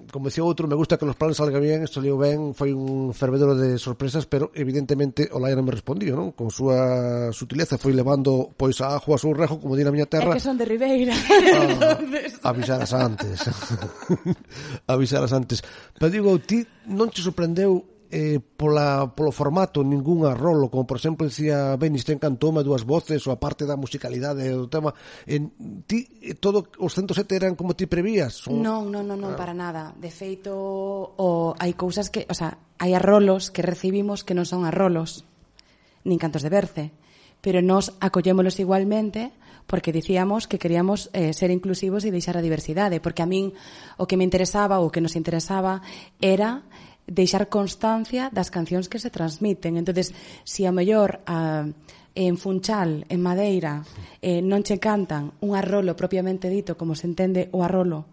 como decía outro, me gusta que los planes salgan bien, saliu ben, foi un fervedero de sorpresas, pero evidentemente Olaya non me respondía, non? Con súa sutileza foi levando pois a ajo a seu rejo, como di na miña terra. É que son de Ribeira. Avisaras antes. Avisaras antes. Pero digo, ti non te sorprendeu polo formato ningún arrolo, como por exemplo dicía Benis, ten cantoume dúas voces ou a parte da musicalidade do tema, ti todo os 107 eran como ti prevías? Non, para nada. De feito, hai cousas que, o sea, hai arrolos que recibimos que non son arrolos nin cantos de berce, pero nos acollémolos igualmente porque dicíamos que queríamos ser inclusivos e deixar a diversidade, porque a min o que me interesaba ou o que nos interesaba era deixar constancia das cancións que se transmiten. Entonces, si ao mellor en Funchal, en Madeira, non che cantan un arrolo propiamente dito, como se entende o arrolo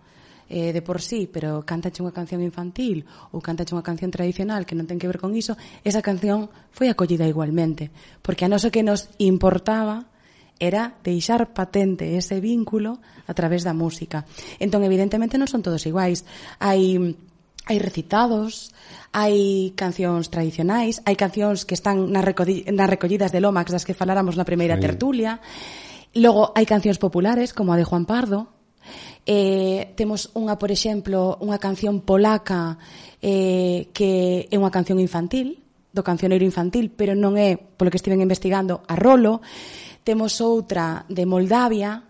de por sí, pero cántache unha canción infantil ou cántache unha canción tradicional que non ten que ver con iso, esa canción foi acollida igualmente, porque a nós o que nos importaba era deixar patente ese vínculo a través da música. Entón, evidentemente, non son todos iguais. Hai recitados, hai cancións tradicionais, hai cancións que están nas recollidas de Lomax das que faláramos na primeira tertulia. Logo, hai cancións populares, como a de Juan Pardo. Temos unha, por exemplo, unha canción polaca que é unha canción infantil, do cancioneiro infantil, pero non é, polo que estiven investigando, a rolo. Temos outra de Moldavia,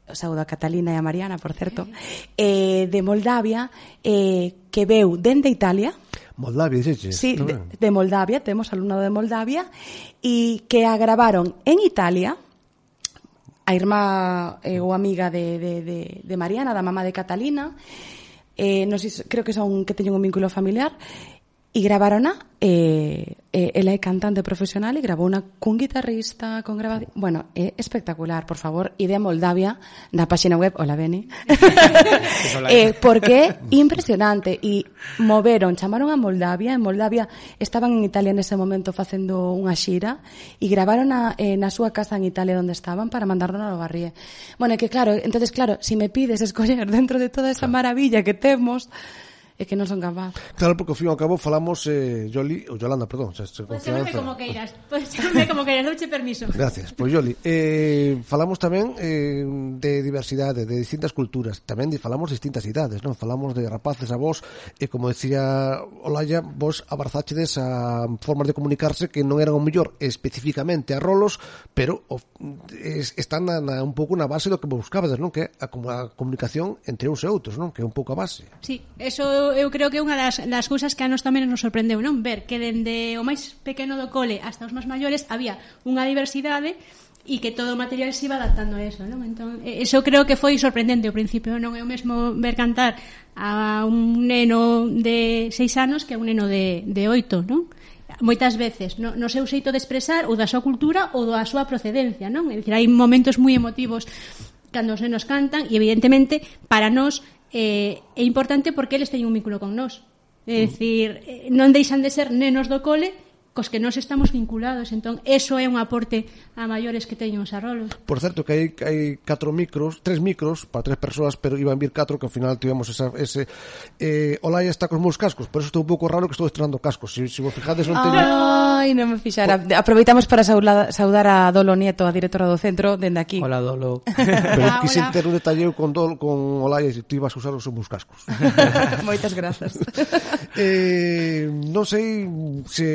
saúdo a Catalina e a Mariana, por certo, de Moldavia, que veu dende Italia. Moldavia, dices? Sí, de Moldavia, temos alumnado de Moldavia, e que a gravaron en Italia, a irmá ou amiga de Mariana, da mamá de Catalina, creo que son que teñen un vínculo familiar, e gravarona, ela é cantante profesional e grabou unha cun guitarrista, con grabación. Bueno, é espectacular, por favor, ide a Moldavia na páxina web, hola Beni, porque é impresionante, e chamaron a Moldavia, en Moldavia estaban en Italia nese momento facendo unha xira, e gravaron na súa casa en Italia onde estaban para mandarnos ao Barrie. Bueno, que claro, entonces claro, si me pides escoller dentro de toda esa maravilla que temos, é que non son capaz. Claro, porque ao fin e ao cabo falamos Yolanda, perdón. Podes chamarme como queiras, douche permiso. Gracias, pois Yoli. Falamos tamén de diversidade, de distintas culturas, tamén falamos de distintas idades, non? Falamos de rapaces a vos, e como decía Olaya, vos abrazáchedes a formas de comunicarse que non eran o mellor especificamente a rolos, pero están un pouco na base do que buscabades, non? Que é a comunicación entre uns e outros, non? Que é un pouco a base. Sí, eso eu creo que é unha das cousas que a nos tamén nos sorprendeu, non? Ver que dende o máis pequeno do cole hasta os máis maiores había unha diversidade e que todo o material se iba adaptando a eso, non? Entón, eso creo que foi sorprendente ao principio, non é o mesmo ver cantar a un neno de 6 anos que a un neno de 8, non? Moitas veces no seu xeito de expresar ou da súa cultura ou da súa procedencia, non? É dicir, hai momentos moi emotivos cando os nenos cantan e evidentemente para nós é importante porque eles teñen un vínculo con nós. É dicir, non deixan de ser nenos do cole cos que nós estamos vinculados. Entón, eso é un aporte a maiores que teñen os arrolos. Por certo, que hai 3 micros para 3 persoas, pero iban vir 4, que ao final tivemos ese... Olaya está cos meus cascos, por eso estou un pouco raro que estou estrenando cascos. Se vos fijades, non teño... Ai, non me fixara. Aproveitamos para saudar a Dolo Nieto, a directora do centro, dende aquí. Hola, Dolo. Pero quise ter un detalleo con Olaya e tú ibas a usar os meus cascos. Moitas grazas. Non sei se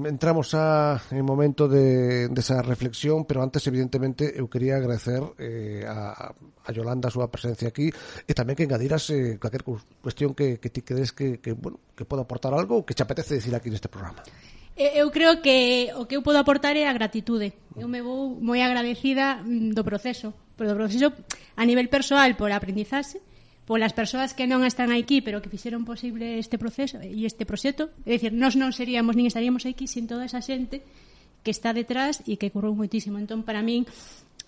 entramos en momento de esa reflexión, pero antes, evidentemente, eu quería agradecer a Yolanda a súa presencia aquí e tamén que engadiras cualquier cuestión que ti crees que poda aportar algo ou que te apetece decir aquí neste programa. Eu creo que o que eu podo aportar é a gratitude. Eu me vou moi agradecida do proceso a nivel persoal por aprendizaxe, polas persoas que non están aquí pero que fixeron posible este proceso e este proxecto. É dicir, nós non seríamos nin estaríamos aquí sin toda esa xente que está detrás e que currou moitísimo. Entón, para min,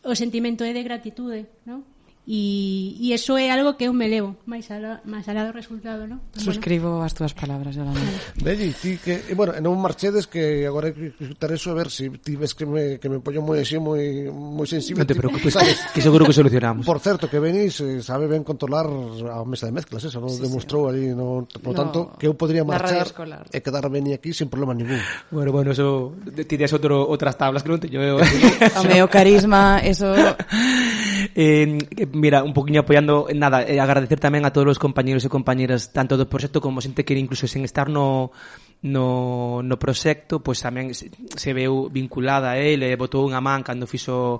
o sentimento é de gratitude, non? E iso é algo que eu me levo máis alá do resultado, non? Suscribo as túas palabras, Yolanda. Belli, ti que, non marchedes, que agora hai que escutar eso, a ver se ti ves que me poño moi así, moi sensible. Non te preocupes, que seguro que solucionamos. Por certo, que venís, sabe ben controlar a mesa de mezclas, eso, non demostrou ali, por tanto, que eu podría marchar e quedar beni aquí sin problema ningún. Bueno, eso tirías outras tablas que non teño eu. O meu carisma, eso... Mira, un poquinho apoiando agradecer tamén a todos os compañeros e compañeras tanto do proxecto como xente que incluso sen estar no proxecto, pois tamén se veu vinculada a ele, botou unha man cando fixo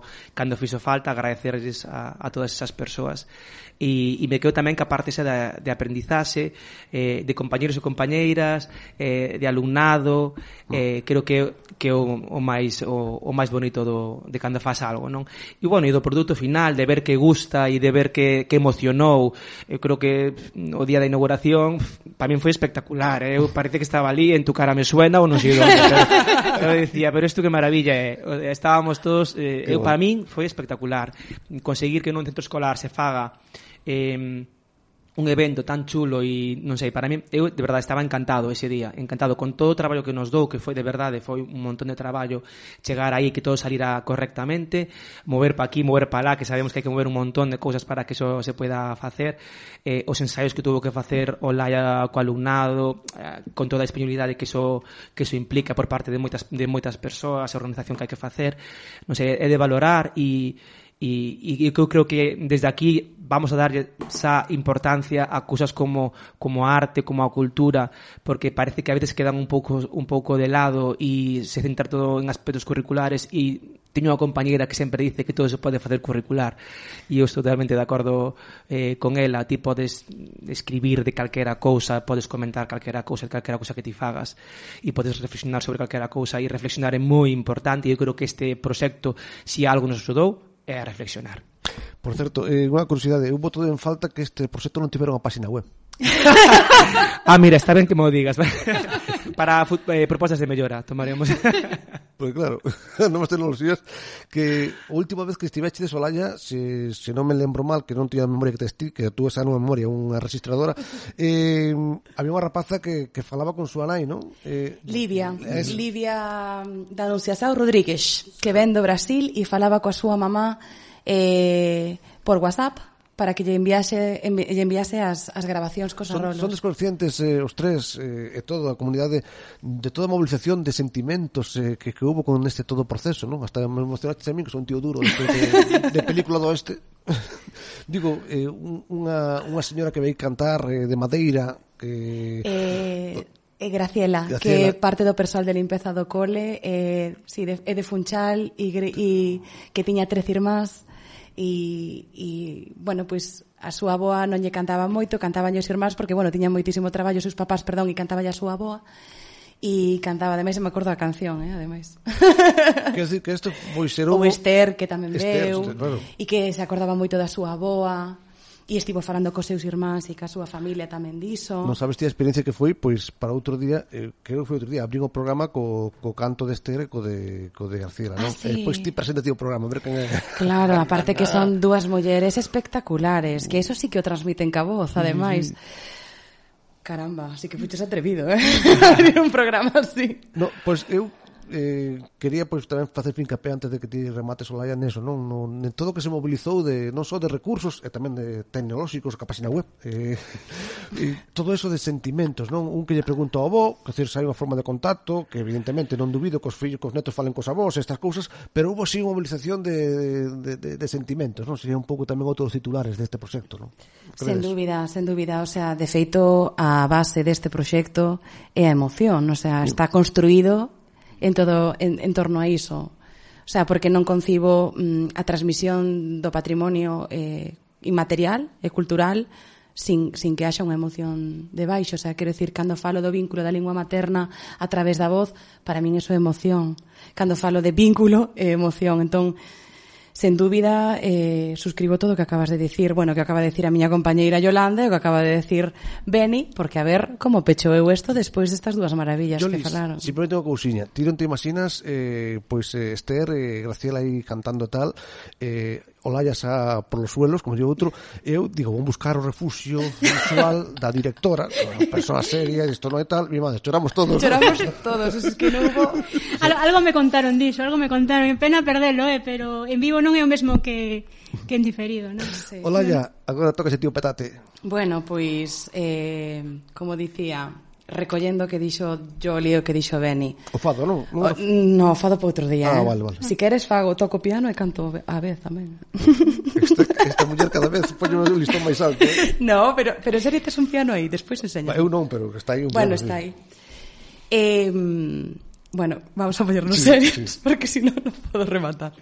falta. Agradecerles a todas esas persoas e me quedo tamén que a parte esa de aprendizaxe, de compañeros e compañeiras, de alumnado, creo que o máis bonito de cando faz algo, non? E bueno, e do produto final, de ver que gusta e de ver que emocionou. Eu creo que o día da inauguración para min foi espectacular, eu parece que estaba ali, en tu cara me suena ou non sei onde, pero eu dicía, pero isto que maravilla estábamos todos, para min foi espectacular conseguir que nun centro escolar se faga un evento tan chulo e non sei, para mí, eu de verdade estaba encantado ese día, encantado con todo o traballo que nos dou, que foi de verdade, foi un montón de traballo chegar aí, que todo salira correctamente, mover pa aquí, mover pa lá, que sabemos que hai que mover un montón de cousas para que eso se pueda facer, os ensaios que tuvo que facer o Laia co alumnado, con toda a disponibilidade que eso implica por parte de moitas persoas, a organización que hai que facer, non sei, é de valorar e eu creo que desde aquí vamos a darlle esa importancia a cousas como a arte, como a cultura, porque parece que a veces quedan un pouco de lado e se centra todo en aspectos curriculares e teño unha compañeira que sempre dice que todo se pode facer curricular e eu estou totalmente de acordo con ela. Ti podes escribir de calquera cousa, podes comentar calquera cousa que ti fagas e podes reflexionar sobre calquera cousa e reflexionar é moi importante e eu creo que este proxecto, se algo nos ajudou, é a reflexionar. Por certo, unha curiosidade, eu boto en falta que este proxecto non tivera unha página web. Mira, está ben que me o digas. Para propostas de mellora tomaremos. Pois claro, novas tecnoloxías que a última vez que estiveste de Solaya, se non me lembro mal, que non tiña a memoria que tes ti, que tú esa non memoria, unha registradora, había unha rapaza que falaba con súa nai, non? Livia da Anunciação Rodríguez, que ven do Brasil e falaba coa súa mamá por WhatsApp para que lle enviase as grabacións cos arrolos. Son desconscientes os tres e toda a comunidade de toda a movilización de sentimentos que hubo con este todo proceso, non? Hasta me emocionaste a mí, que son un tío duro de película do oeste. Digo, unha señora que vai cantar de Madeira, que... Graciela, que parte do persoal de limpeza do cole, é de Funchal e que tiña 3 irmás. E bueno, pois a súa avoa non lle cantaba moito, cantaban os irmáns porque, bueno, tiñan moitísimo traballo os seus papás, e cantaba a súa avoa e cantaba, ademais, me acordo da canción, ademais. Quer dizer que isto foi ser o Esther, que tamén veu, claro. E que se acordaba moito da súa avoa. E estivo falando cos seus irmáns e ca súa familia tamén diso. Non sabes ti a experiencia que foi, pois para outro día, creo que foi outro día, abrí o programa co canto deste co de García, non? Sí. Pois ti presenta ti o programa, a ver quen é. Claro, aparte que son dúas mulleres espectaculares, que eso sí que o transmiten ca voz, ademais. Caramba, así que fuches atrevido, abrir un programa así. No, pois eu quería pois tamén facer fincapé antes de que ti remates o Laia neso, non? En todo o que se mobilizou non só de recursos e tamén de tecnolóxicos, a página web, todo eso de sentimentos, non? Un que lle pregunto ao avó, que se hai unha forma de contacto, que evidentemente non dubido que os fillos, que os netos falen cos avós, estas cousas, pero hubo sí unha movilización de sentimentos, non? Sería un pouco tamén outros titulares deste proxecto, non? Sen dúbida, o sea, de feito a base deste proxecto é a emoción, o sea, está construído en torno a iso. O sea, porque non concibo a transmisión do patrimonio inmaterial e cultural sin que haxa unha emoción debaixo. O sea, quero dicir, cando falo do vínculo da lingua materna a través da voz, para min iso é emoción. Cando falo de vínculo, é emoción. Entón, sen dúbida, suscribo todo o que acabas de dicir. Bueno, que acaba de dicir a miña compañeira Yolanda e o que acaba de dicir Beni, porque a ver como pecho eu isto despois destas dúas maravillas que falaron. Simplemente unha cousiña. Ti non te imaginas, Esther, Graciela aí cantando tal, Olaya xa por los suelos, como digo outro, eu digo, vou buscar o refugio visual da directora, unha persona seria, isto non é tal, mi madre, choramos todos. Choramos todos, es que non hubo... Algo me contaron diso, pena perdelo, pero en vivo non é o mesmo que en diferido, non? Sí. Olaya, agora toca ese tío petate. Bueno, pois, como dicía, recollendo o que dixo Joli e o que dixo Beni. O fado, non? No, o fado para outro día. Vale. Si queres fago, toco piano e canto a vez tamén. Esta muller cada vez pone un listón máis alto. No, pero serio tes un piano aí, despois enseña. Eu non, pero está aí un piano. Bueno, está aí. Bueno, vamos a poñernos serios, porque si non podo rematar.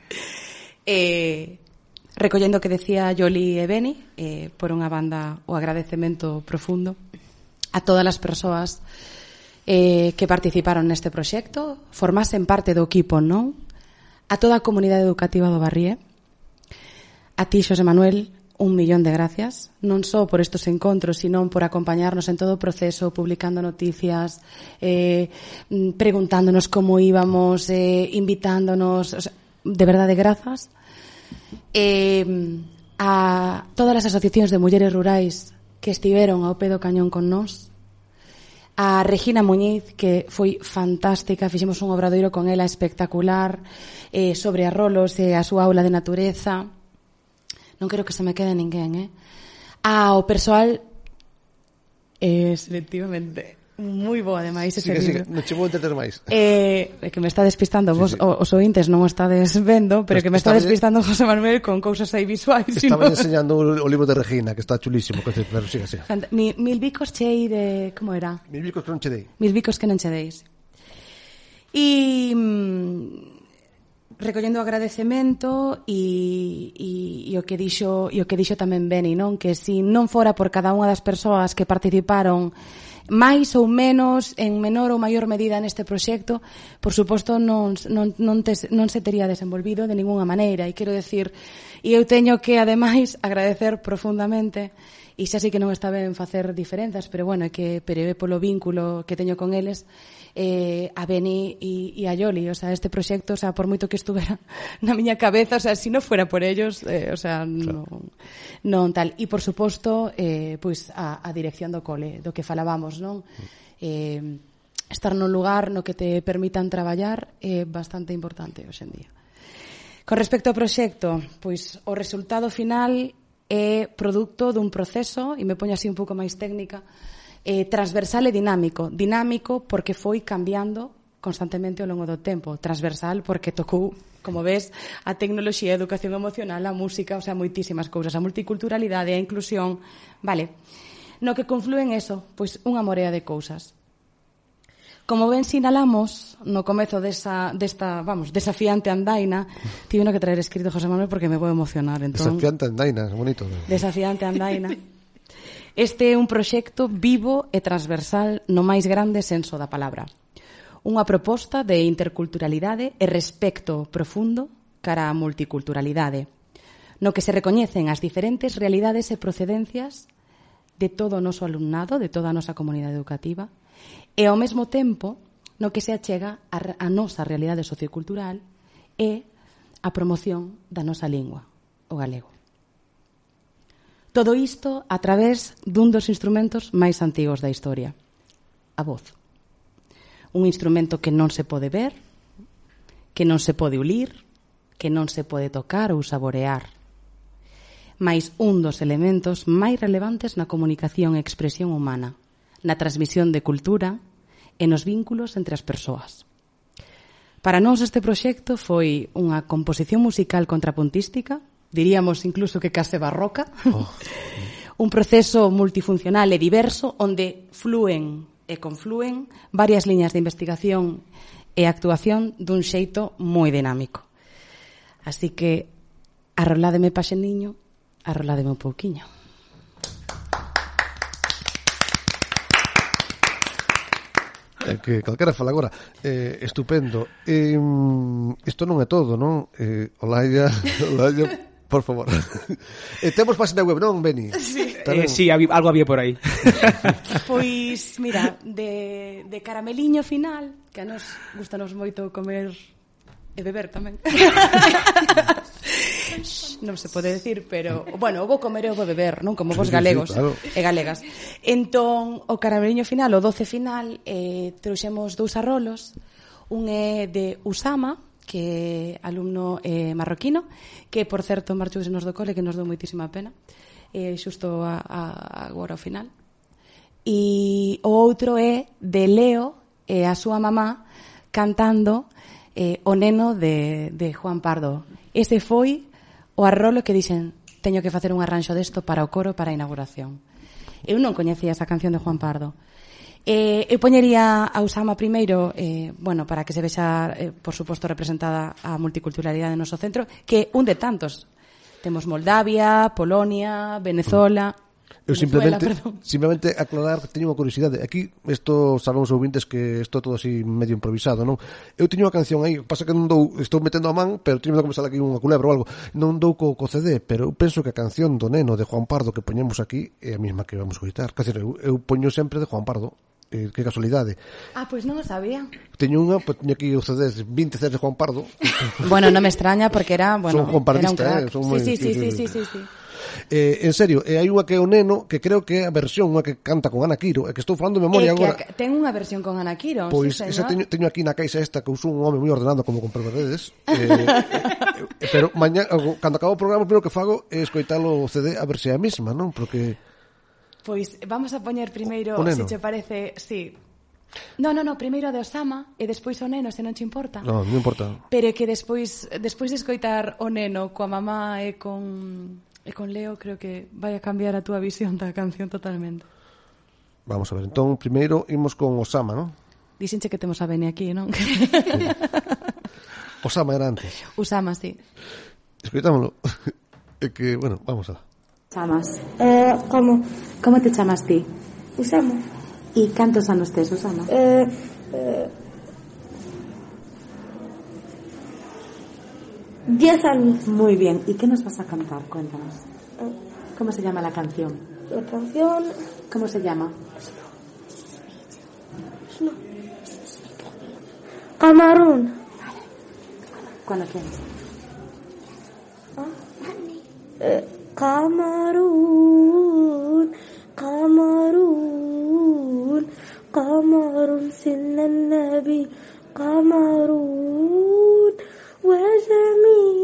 Recollendo o que decía Joli e Beni, por unha banda o agradecemento profundo a todas as persoas que participaron neste proxecto, formasen parte do equipo, non? A toda a comunidade educativa do Barrie, a ti, Xosé Manuel, 1.000.000 de gracias, non só por estos encontros, sino por acompañarnos en todo o proceso, publicando noticias, preguntándonos como íbamos, invitándonos, o sea, de verdade, grazas. A todas as asociacións de mulleres rurais que estiveron ao pé do cañón con nós, a Regina Muñiz, que foi fantástica, fixemos un obradoiro con ela espectacular sobre arrolos e a súa aula de natureza. Non quero que se me quede ninguén, ao persoal selectivamente moi bo, ademais, ese libro. Non che vou entender máis. Que me está despistando vos, os ointes non o estades vendo, pero que me está despistando José Manuel con cousas aí visuais. Estaba enseñando o libro de Regina, que está chulísimo, pero siga. Mil bicos chei de... Como era? Mil bicos que non che dei. Mil bicos que non che deis. E... recollendo o agradecemento e o que dixo tamén Beni, non? Que se non fora por cada unha das persoas que participaron máis ou menos, en menor ou maior medida neste proxecto, por suposto non se tería desenvolvido de ningunha maneira. E quero decir, e eu teño que ademais agradecer profundamente, e xa sei que non está ben facer diferenzas, pero bueno, é que é polo vínculo que teño con eles, a Beni e a Joli. O sea, este proxecto, o sea, por moito que estuvera na miña cabeza, o sea, se non fuera por ellos, o sea, non tal. E por suposto, pois a dirección do cole, do que falábamos, non? Estar nun lugar no que te permitan traballar é bastante importante hoxe en día. Con respecto ao proxecto, pois o resultado final é produto dun proceso, e me poño así un pouco máis técnica, transversal e dinámico. Dinámico porque foi cambiando constantemente ao longo do tempo. Transversal porque tocou, como ves, a tecnoloxía, a educación emocional, a música, o sea, moitísimas cousas, a multiculturalidade, a inclusión, vale. No que conflúen eso, pois unha morea de cousas. Como ben sinalamos no comezo desta, vamos, desafiante andaina, tive que traer escrito José Manuel porque me vou emocionar, entón. Desafiante andaina, é bonito. Desafiante andaina. Este é un proxecto vivo e transversal no máis grande senso da palabra. Unha proposta de interculturalidade e respecto profundo cara á multiculturalidade, no que se recoñecen as diferentes realidades e procedencias de todo o noso alumnado, de toda a nosa comunidade educativa, e ao mesmo tempo no que se achega a nosa realidade sociocultural e a promoción da nosa lingua, o galego. Todo isto a través dun dos instrumentos máis antigos da historia, a voz. Un instrumento que non se pode ver, que non se pode ulir, que non se pode tocar ou saborear, mais un dos elementos máis relevantes na comunicación e expresión humana, na transmisión de cultura e nos vínculos entre as persoas. Para nós este proxecto foi unha composición musical contrapuntística, diríamos incluso que case barroca, un proceso multifuncional e diverso onde flúen e conflúen varias liñas de investigación e a actuación dun xeito moi dinámico. Así que arroládeme paxeniño, arroládeme un pouquiño. Que calquera fala agora. Estupendo. Isto non é todo, non? Olaia, por favor. Temos página web, non, Beni? Sí, algo había por aí. Pois, mira, de carameliño final, que a nos gustanos moito comer e beber tamén. Non se pode decir, pero bueno, o vou comer e o vou beber, non? Como vos galegos e galegas. Entón, o carameliño final, o doce final, trouxemos 2 arrolos. Un é de Usama, que é alumno marroquino, que, por certo, marchousenos do cole, que nos dou moitísima pena, xusto agora ao final. E o outro é de Leo e a súa mamá cantando o neno de Juan Pardo. Ese foi o arrolo que dixen, teño que facer un arranxo desto para o coro para a inauguración. Eu non coñecía esa canción de Juan Pardo. Eu poñería a Usama primeiro, bueno, para que se vexa, por suposto, representada a multiculturalidade do noso centro, que un de tantos. Temos Moldavia, Polonia, Venezuela... Eu simplemente aclarar que teño unha curiosidade. Aquí, isto saben os ouvintes que isto é todo así medio improvisado, non? Eu teño unha canción aí, pasa que non dou, estou metendo a man, pero teño que começar aquí unha culebra ou algo. Non dou co CD, pero eu penso que a canción do neno de Juan Pardo que poñemos aquí é a mesma que vamos a escoitar. Quer dizer, eu poño sempre de Juan Pardo. Que casualidade. Pois non o sabía. Teño unha, pois teño aquí os CDs, 20 CDs de Juan Pardo. Bueno, non me extraña porque era, bueno, son juanpardista, era un crack. Sí. En serio, hai unha que é o neno, que creo que é a versión, unha que canta con Ana Quiro, que estou falando de memoria agora. Ten unha versión con Ana Quiro, pois sí, esa teño aquí na caixa esta, que usou un home moi ordenado como comprobarredes. Pero mañá, cando acabo o programa, o primeiro que fago é escoitalo o CD a ver se é a mesma, non? Porque... Pois vamos a poñer primeiro, se che parece, sí. No, primeiro de Osama e despois o neno, se non che importa. Non importa. Pero que despois de escoitar o neno coa mamá e con Leo, creo que vai a cambiar a túa visión da canción totalmente. Vamos a ver, entón, primeiro imos con Osama, non? Dixenche que temos a Beni aquí, non? Osama era antes. Usama, sí. Escoitámoslo. É que, bueno, vamos a... Chamas? ¿Cómo te chamas ti? Usama. ¿Y cantos anos tes, Usama? 10 años. Muy bien. ¿Y qué nos vas a cantar? Cuéntanos. ¿Cómo se llama la canción? La canción... ¿Cómo se llama? Camarón. Cuando quieras. Camarón, Camarón, Camarón سن النبي Camarón وجميل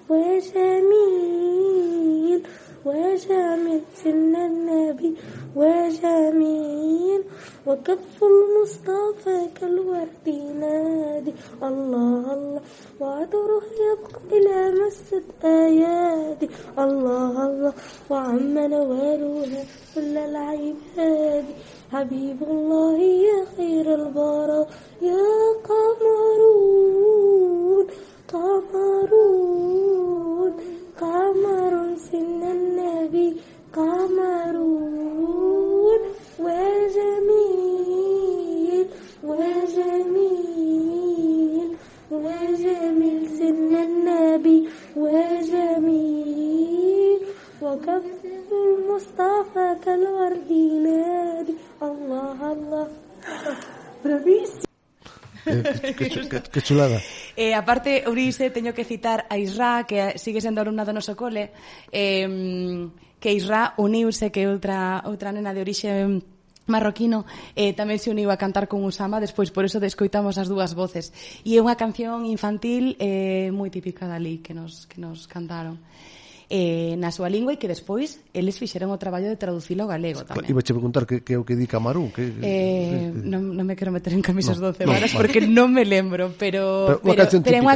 وجميل وجميل سن النبي وجميل وكف المصطفى كالورد ينادي الله الله وعطره يبقى إلى مسد أيادي الله الله وعم نوالها كل العباد حبيب الله يا خير البراء يا قمرون قمرون قمر سن النبي قمرون وجميل وجميل وجميل سن النبي وجميل وكف المصطفى كالورد ينادي الله الله. Bravísimo. Que chulada. Aparte, Eurice, teño que citar a Isra, que sigue sendo alumna do noso cole, que Isra uniuse, que é outra nena de orixe marroquino, tamén se uniu a cantar con Usama, despois por eso descoitamos as dúas voces. E é unha canción infantil moi típica dali que nos cantaron. na súa lingua e que despois eles fixeron o traballo de traducilo ao galego tamén. Iba a preguntar que é o que di Camarón. Non me quero meter en camisas 12 varas porque non me lembro, pero é unha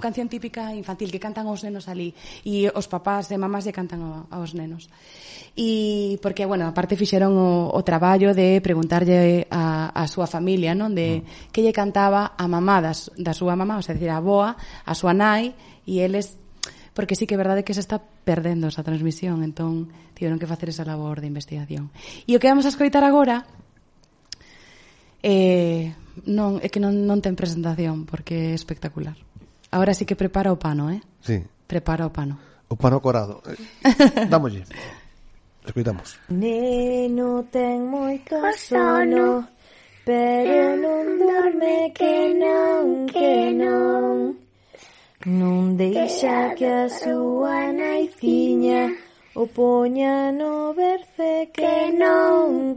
canción típica infantil que cantan os nenos ali e os papás e mamás lle cantan aos nenos. E porque, bueno, aparte fixeron o traballo de preguntarlle a súa familia, non, de que lle cantaba a mamá da súa mamá, o sea, decir, a boa, a súa nai, e eles, porque sí que é verdade que se está perdendo esa transmisión, entón tiveron que facer esa labor de investigación. E o que vamos a escoitar agora non é que non ten presentación, porque é espectacular. Agora sí que prepara o pano, Sí. Prepara o pano. O pano corado. Dámolle. Escoitamos. Neno ten moito sono, pero non dorme que non. Non deixa que a súa naiciña o poña no berce que non.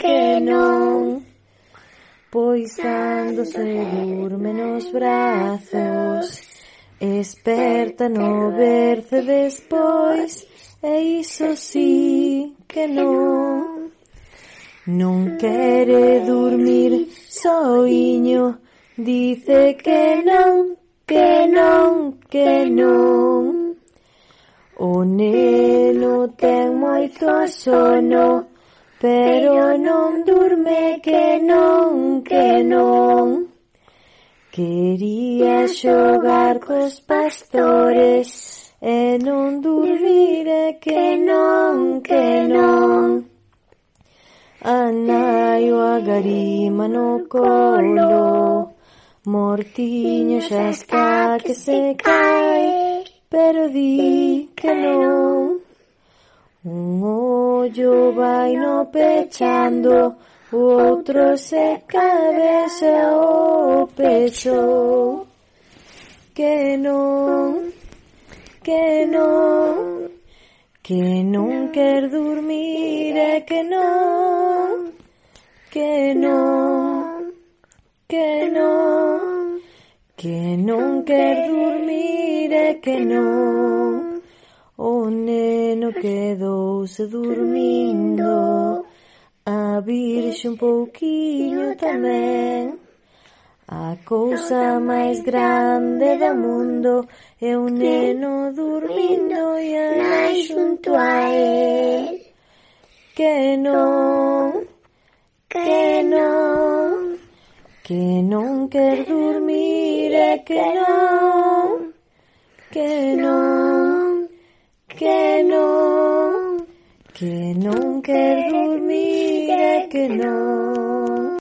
Pois cando se durme nos brazos, esperta no berce despois, e iso sí que non. Non quere dormir soiño, dice que non. O neno ten moito sono, pero non durme que non. Quería xogar cos pastores e non dormire que non. A nai o agarima no colo, mortiño xa está que se cae, pero di que non. Un ollo vai no pechando, o outro se cabeza o pecho. Que non quer dormir e que non quer dormir e que non. O neno quedouse dormindo, a virxe un pouquiño tamén. A cousa máis grande do mundo é un neno dormindo e a nai xunto a él. Que non quer dormir e que non quer dormir e que non.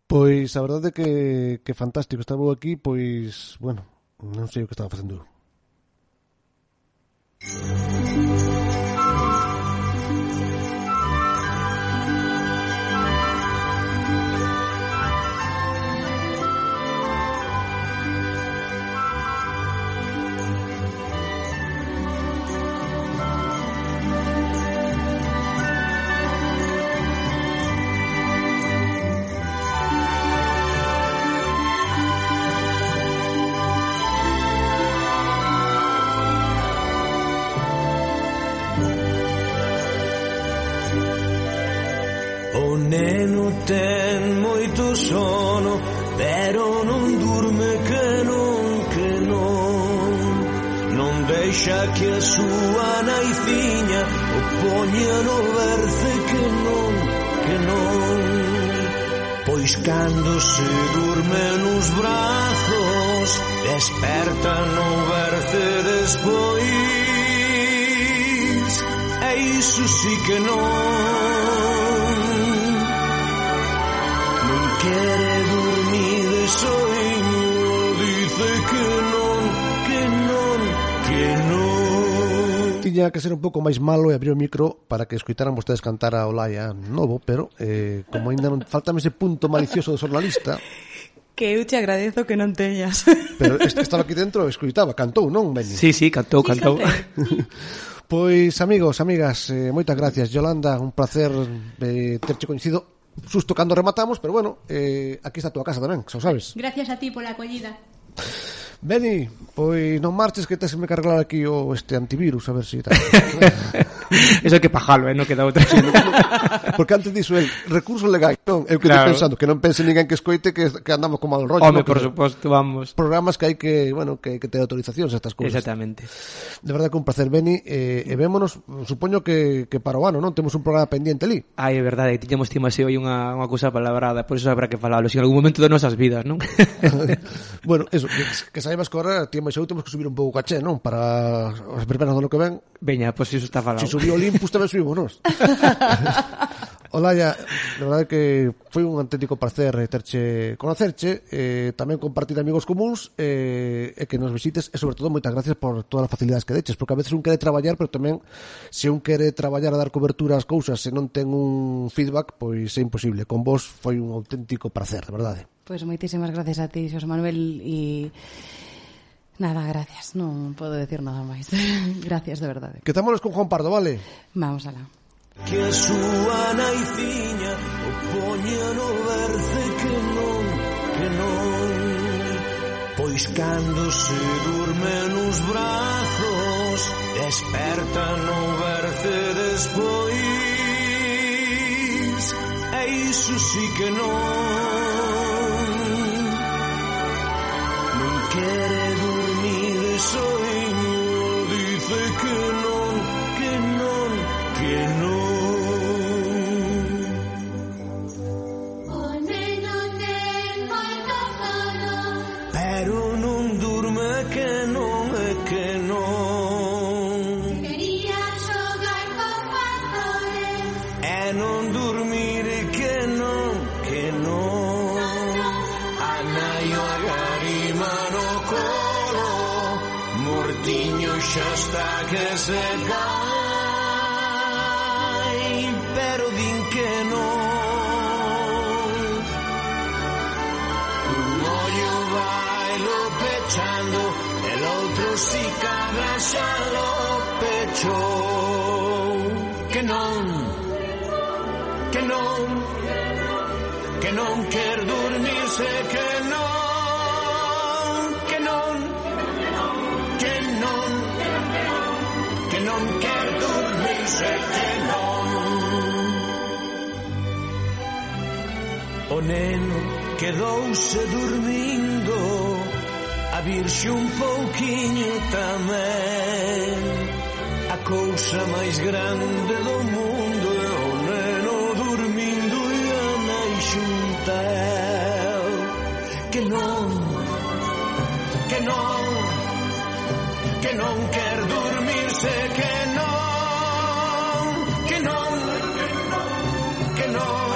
Pois a verdade é que fantástico estar vos aquí, pois, bueno, non sei o que estaba facendo. O neno ten moito sono, pero non durme que non. Non deixa que a súa naiciña o poña no berce que non. Pois cando se durme nos brazos, desperta no berce despois, e iso sí que non. Quere dormir de soño, dice que non. Tiña que ser un pouco máis malo e abrir o micro para que escoitaran vostedes cantar a Olaya novo, pero como ainda non faltame ese punto malicioso do xornalista. Que eu te agradezo que non teñas. Pero estaba aquí dentro, escoitaba, cantou, non, Beni? Sí, cantou. Pois, amigos, amigas, moitas gracias. Yolanda, un placer terche coincido. Susto cando rematamos, pero bueno, aquí está a túa casa tamén, xa o sabes. Gracias a ti pola acollida. Beni, pois non marches que tes que me cargar aquí este antivirus, a ver se tal. Eso hai que pajalo, non queda outra. Porque antes diso el recurso legal, non, eu que Claro. pensando que non pense ninguén que escoite que andamos con mal rollo. Home, non? por suposto, vamos. Programas que hai que, bueno, que ter autorizacións a estas cousas. Exactamente. De verdade que un placer, Beni, e vémonos, supoño que para o ano, non? Temos un programa pendiente ali. Ai, é verdade, tiñamos así hoy unha cousa palabrada, por iso habrá que falalo, en algún momento de nosas vidas, non? Bueno, eso, que saibas que ahora ti máis eu temos que subir un pouco o caché, non? Para as primeras do ano que ven. Veña, pois iso está falado. Se subiu Olympus tamén subimos nós. Olaya, de verdade que foi un auténtico placer conocerche, tamén compartir amigos comuns, e que nos visites, e sobre todo moitas gracias por todas as facilidades que deches, porque a veces un quere traballar, pero tamén se un quere traballar a dar cobertura ás cousas e non ten un feedback, pois é imposible. Con vos foi un auténtico placer, de verdade. Pois moitísimas gracias a ti, Xosé Manuel, e nada, gracias, non podo decir nada máis. Gracias, de verdade. Que támonos con Juan Pardo, vale? Vamos alá. Que a súa naiciña o poña no berce que non pois cando se durme nos brazos desperta no berce despois e iso sí que non quere dormir soiño, dice que non, que non, que non. Pero non durme que non é que non. Quería xogar cos pastores e non dormir que non, que non. A nai o agarima no colo, mortiño xa está que se cae, pero din que non. Un ollo bailo pechando, el outro si cabra xa lo pecho. Que non, que non, que non quer dormirse, que non, que non, que non, que non quer dormirse, que non. O neno quedouse dormindo, a virxe un pouquiño tamén. A cousa máis grande do mundo é o neno dormindo e a nai xunta el. Que non, que non, que non quer dormirse, que non, que non, que non,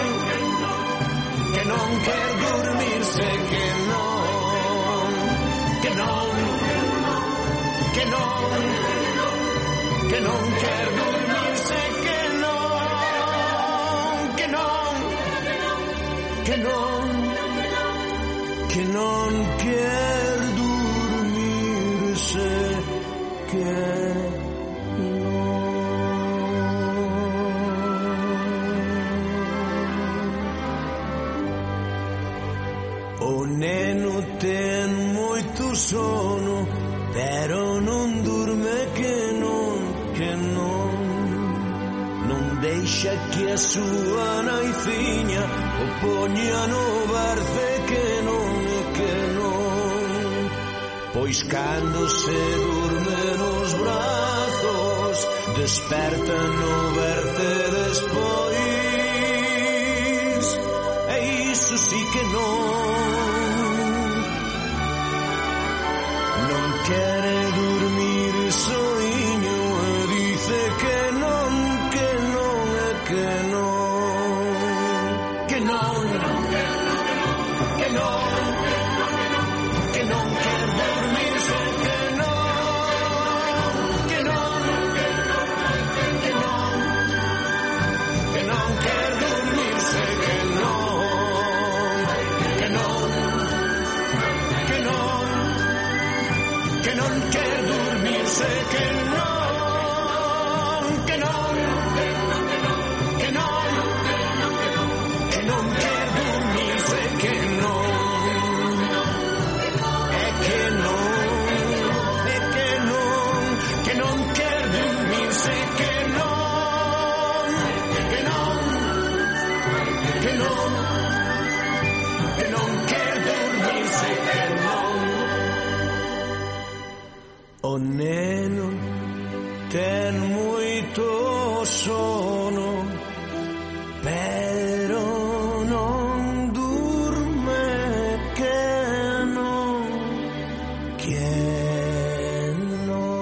que non quer dormirse, que non, que non, que non, que non quer dormirse, que non, que non, que non, que non quer dormirse, que o neno ten moito sono, pero non durme, que non, que non. Non deixa que a súa naiciña o poña no berce, que non, que non. Pois cando se durme nos brazos desperta no berce despois e iso sí que non. Non quere dormir soiño e dice que non, que non, que non, que non, que non, que non quer dormirse, que non, que non, que non, que non quer dormirse, que non, que non, que non, que non quer dormirse, que non, que non, que non, que non quer dormirse, que non, é que non. que non quer dormirse que non. O neno ten moito sono, pero non durme que non quer non.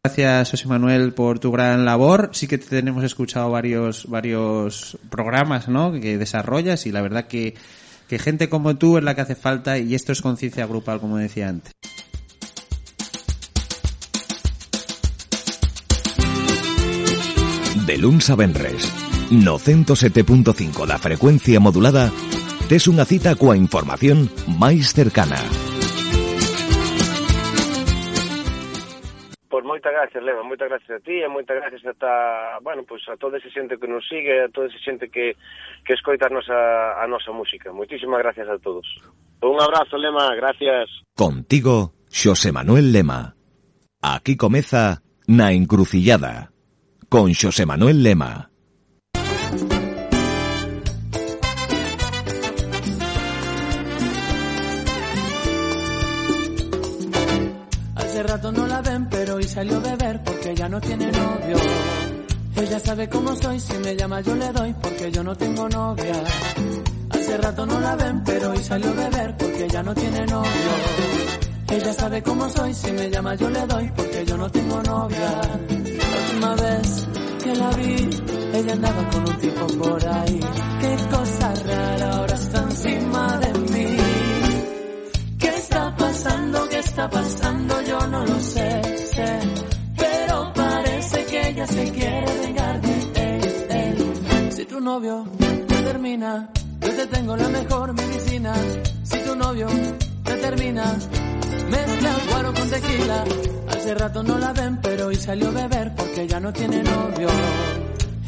Gracias, José Manuel, por tu gran labor. Sí que te tenemos escuchado varios programas, ¿no?, que desarrollas, y la verdad que gente como tú es la que hace falta, y esto es conciencia grupal, como decía antes. De luns a venres, no 107.5 da frecuencia modulada, tes unha cita coa información máis cercana. Pois moitas gracias, Leva, moitas gracias a ti e moitas gracias a toda esa xente que nos sigue, a toda esa xente que escoita a nosa música. Moitísimas gracias a todos. Un abrazo, Lema, gracias. Contigo, Xosé Manuel Lema. Aquí comeza Na Encrucillada, con Xosé Manuel Lema. Hace rato no la ven, pero hoy salió a beber porque ya no tiene novio. Ella sabe cómo soy, si me llama yo le doy porque yo no tengo novia. Hace rato no la ven, pero hoy salió a beber porque ya no tiene novio. Ella sabe cómo soy, si me llama yo le doy porque yo no tengo novia. La última vez que la vi, ella andaba con un tipo por ahí. Qué cosa rara, ahora está encima de mí. ¿Qué está pasando? ¿Qué está pasando? Yo no lo sé. Pero parece que ella se quiere vengar de él. Si tu novio te termina, yo te tengo la mejor medicina. Si tu novio te termina, mezcla guaro con tequila. Hace rato no la ven, pero hoy salió a beber porque ya no tiene novio.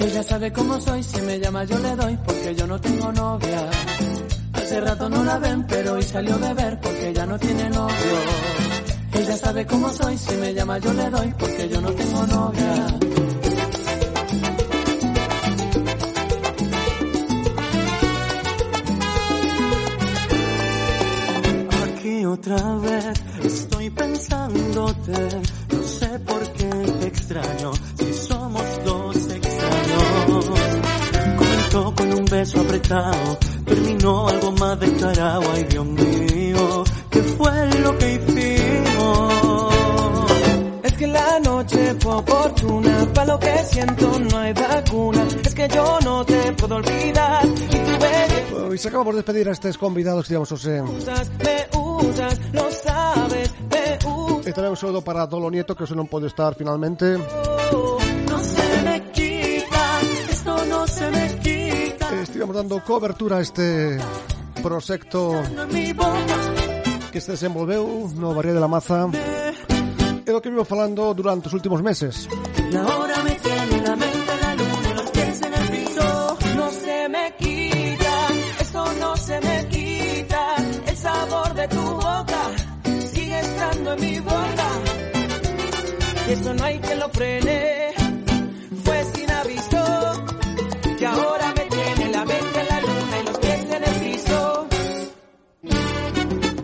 Ella sabe cómo soy, si me llama yo le doy porque yo no tengo novia. Hace rato no la ven, pero hoy salió a beber porque ya no tiene novio. Ella sabe cómo soy, si me llama yo le doy porque yo no tengo novia. Aquí otra vez estoy pensándote, no sé por qué te extraño, si somos dos extraños. Comenzó con un beso apretado, terminó algo más descarado. Ay, Dios mío, ¿qué fue lo que hicimos? Es que la noche fue oportuna, para lo que siento no hay vacuna. Es que yo no te puedo olvidar. Y se acaba por despedir a estos convidados que digamos, José. Me usas, lo sabes, me usas. E tamén un saludo para Dolo Nieto, que hoxe non pode estar finalmente. No se me quita, esto no se me quita. Estivemos dando cobertura a este proxecto que se desenvolveu no Barrio de la Maza. É o que vivo falando durante os últimos meses. Y ahora me tiene la mente en la luna y los pies en el piso. No se me quita, esto no se me quita. El sabor de tu boca sigue estando en mi boca. Y eso no hay quien lo frene. Fue sin aviso. Y ahora me tiene la mente en la luna y los pies en el piso.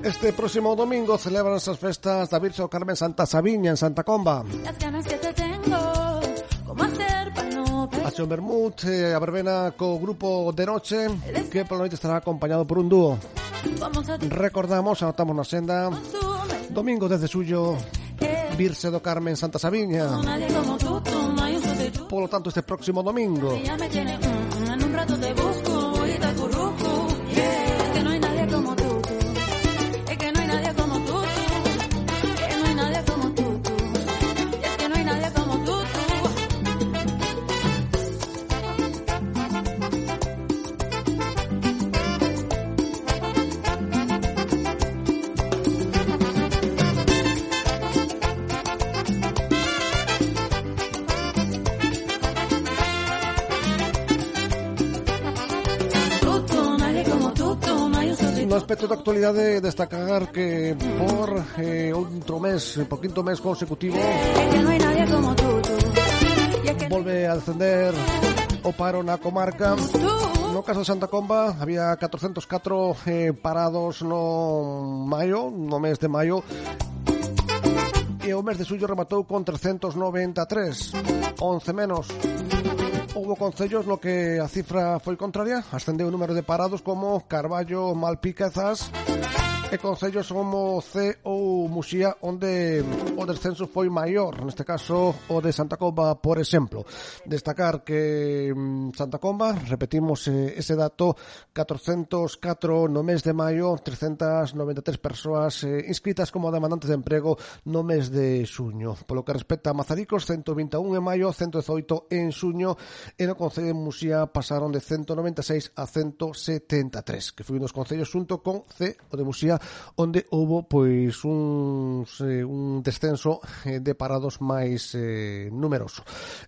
Este próximo domingo celebran esas festas da Virxe do Carmen Santa Sabiña en Santa Comba. Las ganas que te tengo, ¿cómo hacer para no perder? A Xon Bermud, a verbena co grupo de noche, que pola noite estará acompañado por un dúo. Recordamos, anotamos na senda, domingo 10 de xullo, Virxe do Carmen Santa Sabiña. Nadie como tú, no hay un sustituto. Por lo tanto, este próximo domingo. Ya me tiene, en un rato te busco y te acurruco. Es que no hay nadie como tú. Es que no hay nadie como tú. Que no hay nadie como tú. Es que no hay nadie como tú. no aspecto de actualidade destacar que por por quinto mes consecutivo volve a descender o paro na comarca. No caso de Santa Comba había 404 parados no mes de maio, e o mes de xullo rematou con 393, 11 menos. Houbo concellos no que a cifra foi contraria, ascendeu o número de parados como Carballo, Malpica e Zas, e concellos como C ou Muxía onde o descenso foi maior, neste caso o de Santa Comba, por exemplo. Destacar que Santa Comba, repetimos ese dato, 404 no mes de maio, 393 persoas inscritas como demandantes de emprego no mes de xuño. Polo que respecta a Mazaricos, 121 en maio, 118 en xuño, e no concello de Muxía pasaron de 196 a 173, que foi un dos concellos xunto con C, o de Muxía, onde houbo pois un descenso de parados máis numeroso.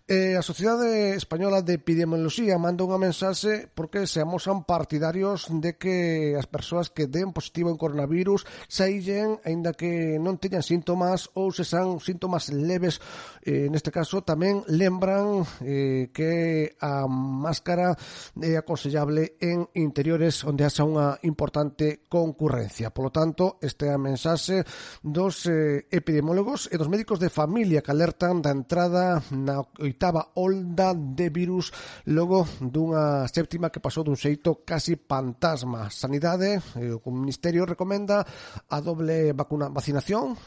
A Sociedade Española de Epidemioloxía manda unha mensaxe porque se amosan partidarios de que as persoas que den positivo en coronavirus saíllen aínda que non teñan síntomas ou se san síntomas leves. Neste caso tamén lembran que a máscara é aconsellable en interiores onde haxa unha importante concurrencia. Polo tanto, esta é a mensaxe dos epidemiólogos e dos médicos de familia que alertan da entrada na 8ª onda de virus logo dunha séptima que pasou dun xeito casi fantasma. Sanidade, o Ministerio recomenda a doble vacinación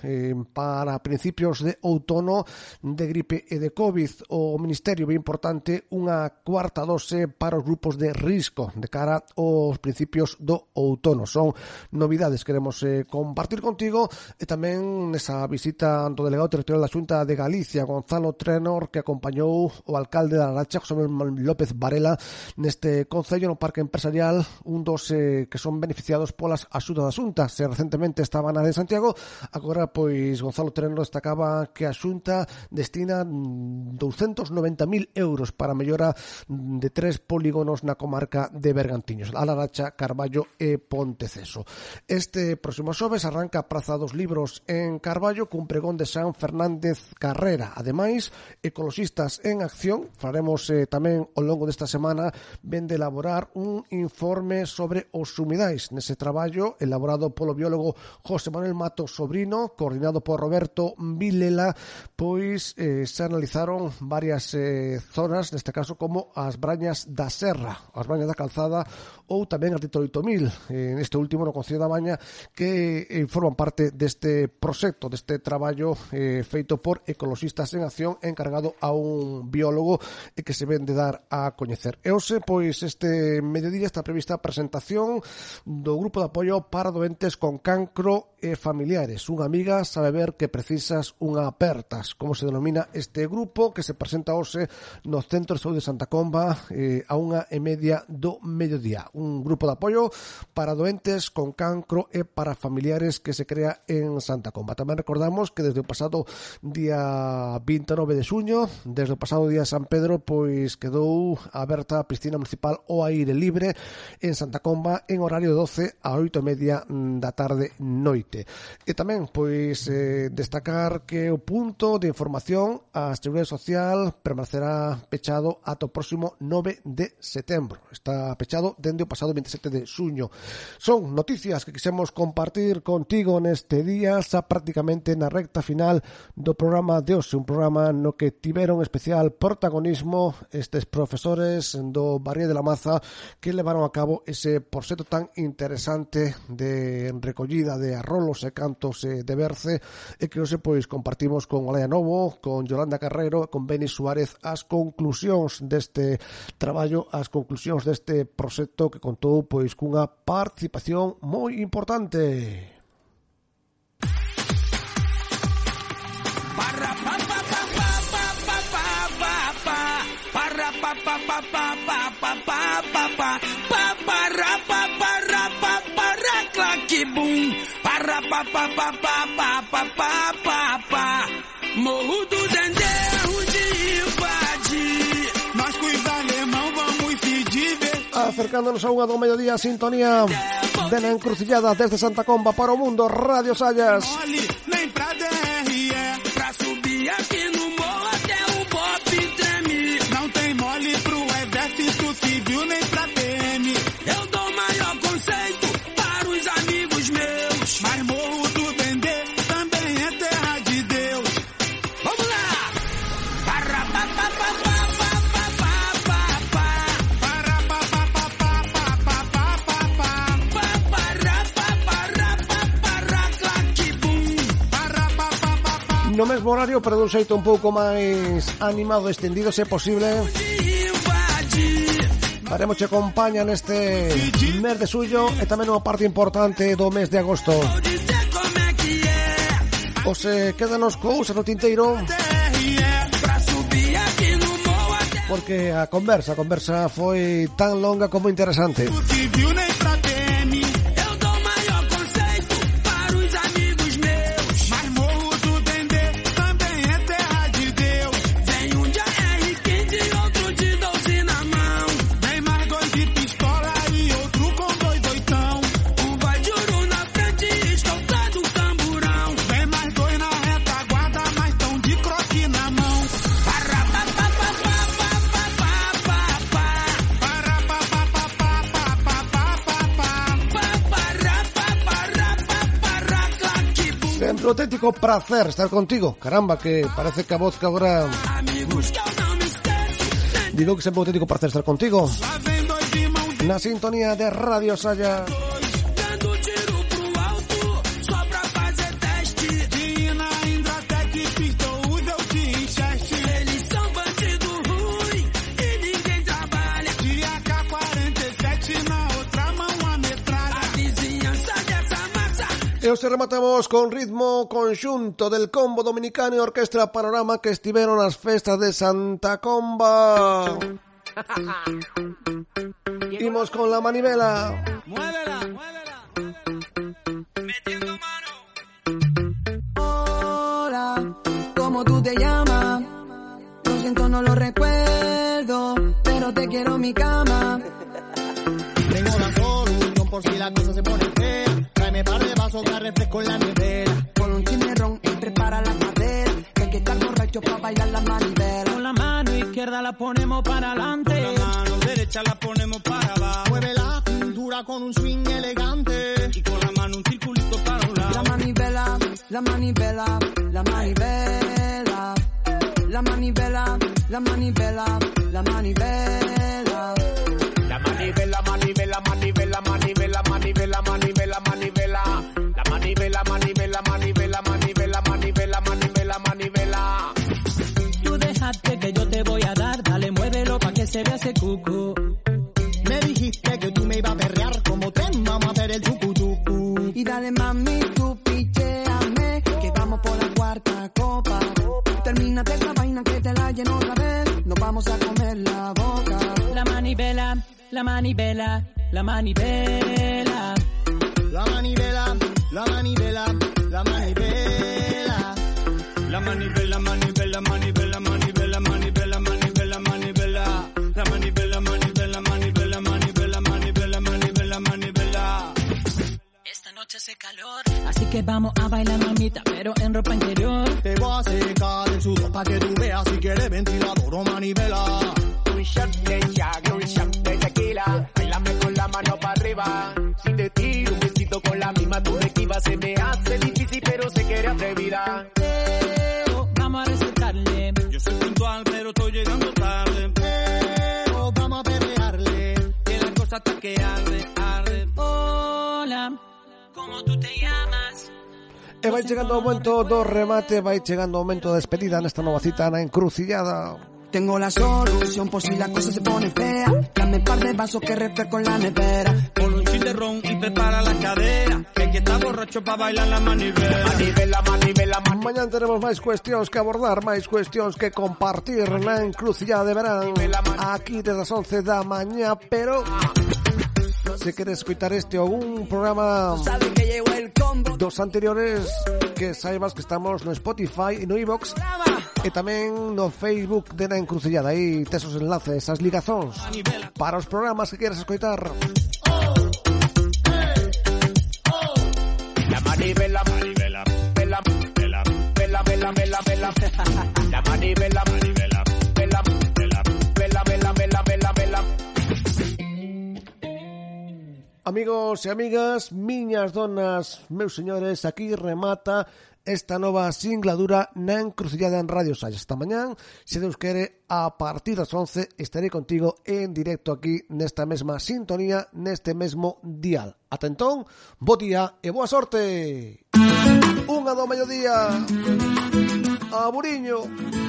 para principios de outono de gripe e de COVID. O Ministerio ve importante unha cuarta dose para os grupos de risco de cara aos principios do outono. Son novidades que queremos compartir contigo, e tamén nesa visita do delegado territorial da Xunta de Galicia, Gonzalo Trenor, que acompañou o alcalde da Laracha, José López Varela, neste concello no parque empresarial, un dos que son beneficiados polas axudas da Xunta. Se recentemente estaba na de Santiago, agora pois Gonzalo Trenor destacaba que a Xunta destina 290.000 euros para a mellora de 3 polígonos na comarca de Bergantiños, a Laracha, Carballo e Ponteceso. Este próximo xoves arranca a Praza dos Libros en Carballo cun pregón de San Fernández Carrera. Ademais, Ecoloxistas en Acción, faremos tamén ao longo desta semana, ven de elaborar un informe sobre os humidais. Nese traballo, elaborado polo biólogo José Manuel Mato Sobrino, coordinado por Roberto Vilela, pois se analizaron varias zonas, neste caso como as Brañas da Serra, as Brañas da Calzada ou tamén as de Toroitomil, neste último no Concello da Baña, que forman parte deste proxecto, deste traballo feito por Ecoloxistas en Acción, encargado a un biólogo e que se ven de dar a coñecer. E hoxe, pois, este mediodía está prevista a presentación do Grupo de Apoio para Doentes con Cancro e Familiares. Unha amiga sabe ver que precisas unha apertas, como se denomina este grupo, que se presenta hoxe no Centro de Saúde de Santa Comba a 1:30 do mediodía. Un grupo de apoio para doentes con cancro e para familiares que se crea en Santa Comba. Tamén recordamos que desde o pasado día 29 de xuño, desde o pasado día San Pedro, pois quedou aberta a piscina municipal ao aire libre en Santa Comba en horario de 12 a 8:30 da tarde noite. E tamén, pois, destacar que o punto de información a Seguridade Social permanecerá pechado ata o próximo 9 de setembro. Está pechado dende o pasado 27 de xuño. Son noticias que quisemos compartir contigo neste día, xa prácticamente na recta final do programa de hoxe, un programa no que tiveron especial protagonismo estes profesores do Barrié de la Maza que levaron a cabo ese proxecto tan interesante de recollida de arrolos e cantos de berce, e que hoxe pois compartimos con Olaya Novo, con Yolanda Carrero, con Beni Suárez as conclusións deste traballo, as conclusións deste proxecto que contou pois cunha participación moi importante. Morro do Dendê, de invadir. Nós com os alemão vamos se divertir. A acercándonos a unha do mediodía, sintonía de La Encrucillada desde Santa Comba para o mundo, Radio Sallas. Nem pra DRE, pra subir aqui no morro até o Bop treme. Não tem mole pro exército civil nem pra PM. Eu dou maior conceito para os amigos meus. Mas morro do Dendê também é terra de Deus. Vamos lá! No mesmo horario, pero dun xeito un pouco máis animado, extendido, se posible. Daremos che compañía neste mes de suyo e tamén unha parte importante do mes de agosto. O se quedanos cousas no tinteiro, porque a conversa foi tan longa como interesante. Un auténtico placer estar contigo. Caramba, que parece que a voz que agora... Digo que sempre un auténtico placer estar contigo. Na sintonía de Radio Sallas. E os rematamos con ritmo conxunto del Combo Dominicano e Orquestra Panorama que estiveron nas festas de Santa Comba. Imos con la manivela. Muévela, muévela. Metiendo mano. Hola, ¿cómo tú te llamas? Lo siento, no lo recuerdo, pero te quiero en mi cama. Tengo la solución por si la cosa se pone fea. Tráeme par de vasos que refresco en la nevera. Con un chimerrón y prepara la madera. Que hay que estar borracho para bailar la manivela. Con la mano izquierda la ponemos para adelante. Con la mano derecha la ponemos para abajo. Mueve la cintura con un swing elegante. Y con la mano un circulito para un lado. La manivela, la manivela, la manivela. La manivela, la manivela, la manivela. La manivela, manivela, manivela, manivela, manivela, manivela, manivela. La manivela, manivela, manivela, manivela, manivela, manivela, manivela. Tú dejaste que yo te voy a dar, dale, muévelo pa' que se vea ese cuco. Me dijiste que tú me ibas a perrear como te vamos a hacer el chucu chucu. Y dale mami, tú picheame, que vamos por la cuarta copa. Termínate esta vaina que te la lleno otra vez, nos vamos a comer la boca. La manivela, la manivela, la manivela. La manivela, la manivela, la manivela. La manivela, manivela, manivela, manivela, manivela, manivela, manivela. La manivela, manivela, manivela, manivela, manivela, manivela, manivela. Esta noche hace calor, así que vamos a bailar mamita, pero en ropa interior. Te voy a secar el sudor pa' que tú veas si quieres ventilador o manivela. Un shot de Jack, un shot de tequila. Bailame con la mano para arriba. Si te tiro un besito con la misma tú me esquivas. Se me hace difícil pero sé que eres atrevida. Vamos a recetarle. Yo soy puntual pero estoy llegando tarde. Vamos a perrearle. Que la cosa está que arde, arde. Hola, ¿cómo tú te llamas? E vai chegando o momento do remate, vai chegando o momento de despedida nesta nova cita na Encrucillada. Tengo la solución por si la cosa se pone fea. Dame par de vasos que refresco en la nevera. Con un chin de ron y prepara la cadera. Que hay que estar borracho para bailar la manivela. Manivela, manivela, manivela. Mañana tenemos máis cuestións que abordar, máis cuestións que compartir na Encrucillada de verán. Aquí desde as 11 da mañá, pero... Se queres escoitar este ou un programa dos anteriores, que saibas que estamos no Spotify e no iVoox E tamén no Facebook de Na Encrucillada. Aí tes os enlaces, as ligazóns para os programas que queres escoitar. La manivela, manivela, vela, vela, vela, vela, vela, vela. La manivela, manivela, vela, vela, vela, vela, vela, vela, vela. Amigos e amigas, miñas donas, meus señores, aquí remata esta nova singladura na Encrucillada en Radio Salles. Esta mañán, se Deus quere, a partir das 11 estarei contigo en directo aquí nesta mesma sintonía, neste mesmo dial. Ata entón, bo día e boa sorte. Unha do mediodía. Aburiño.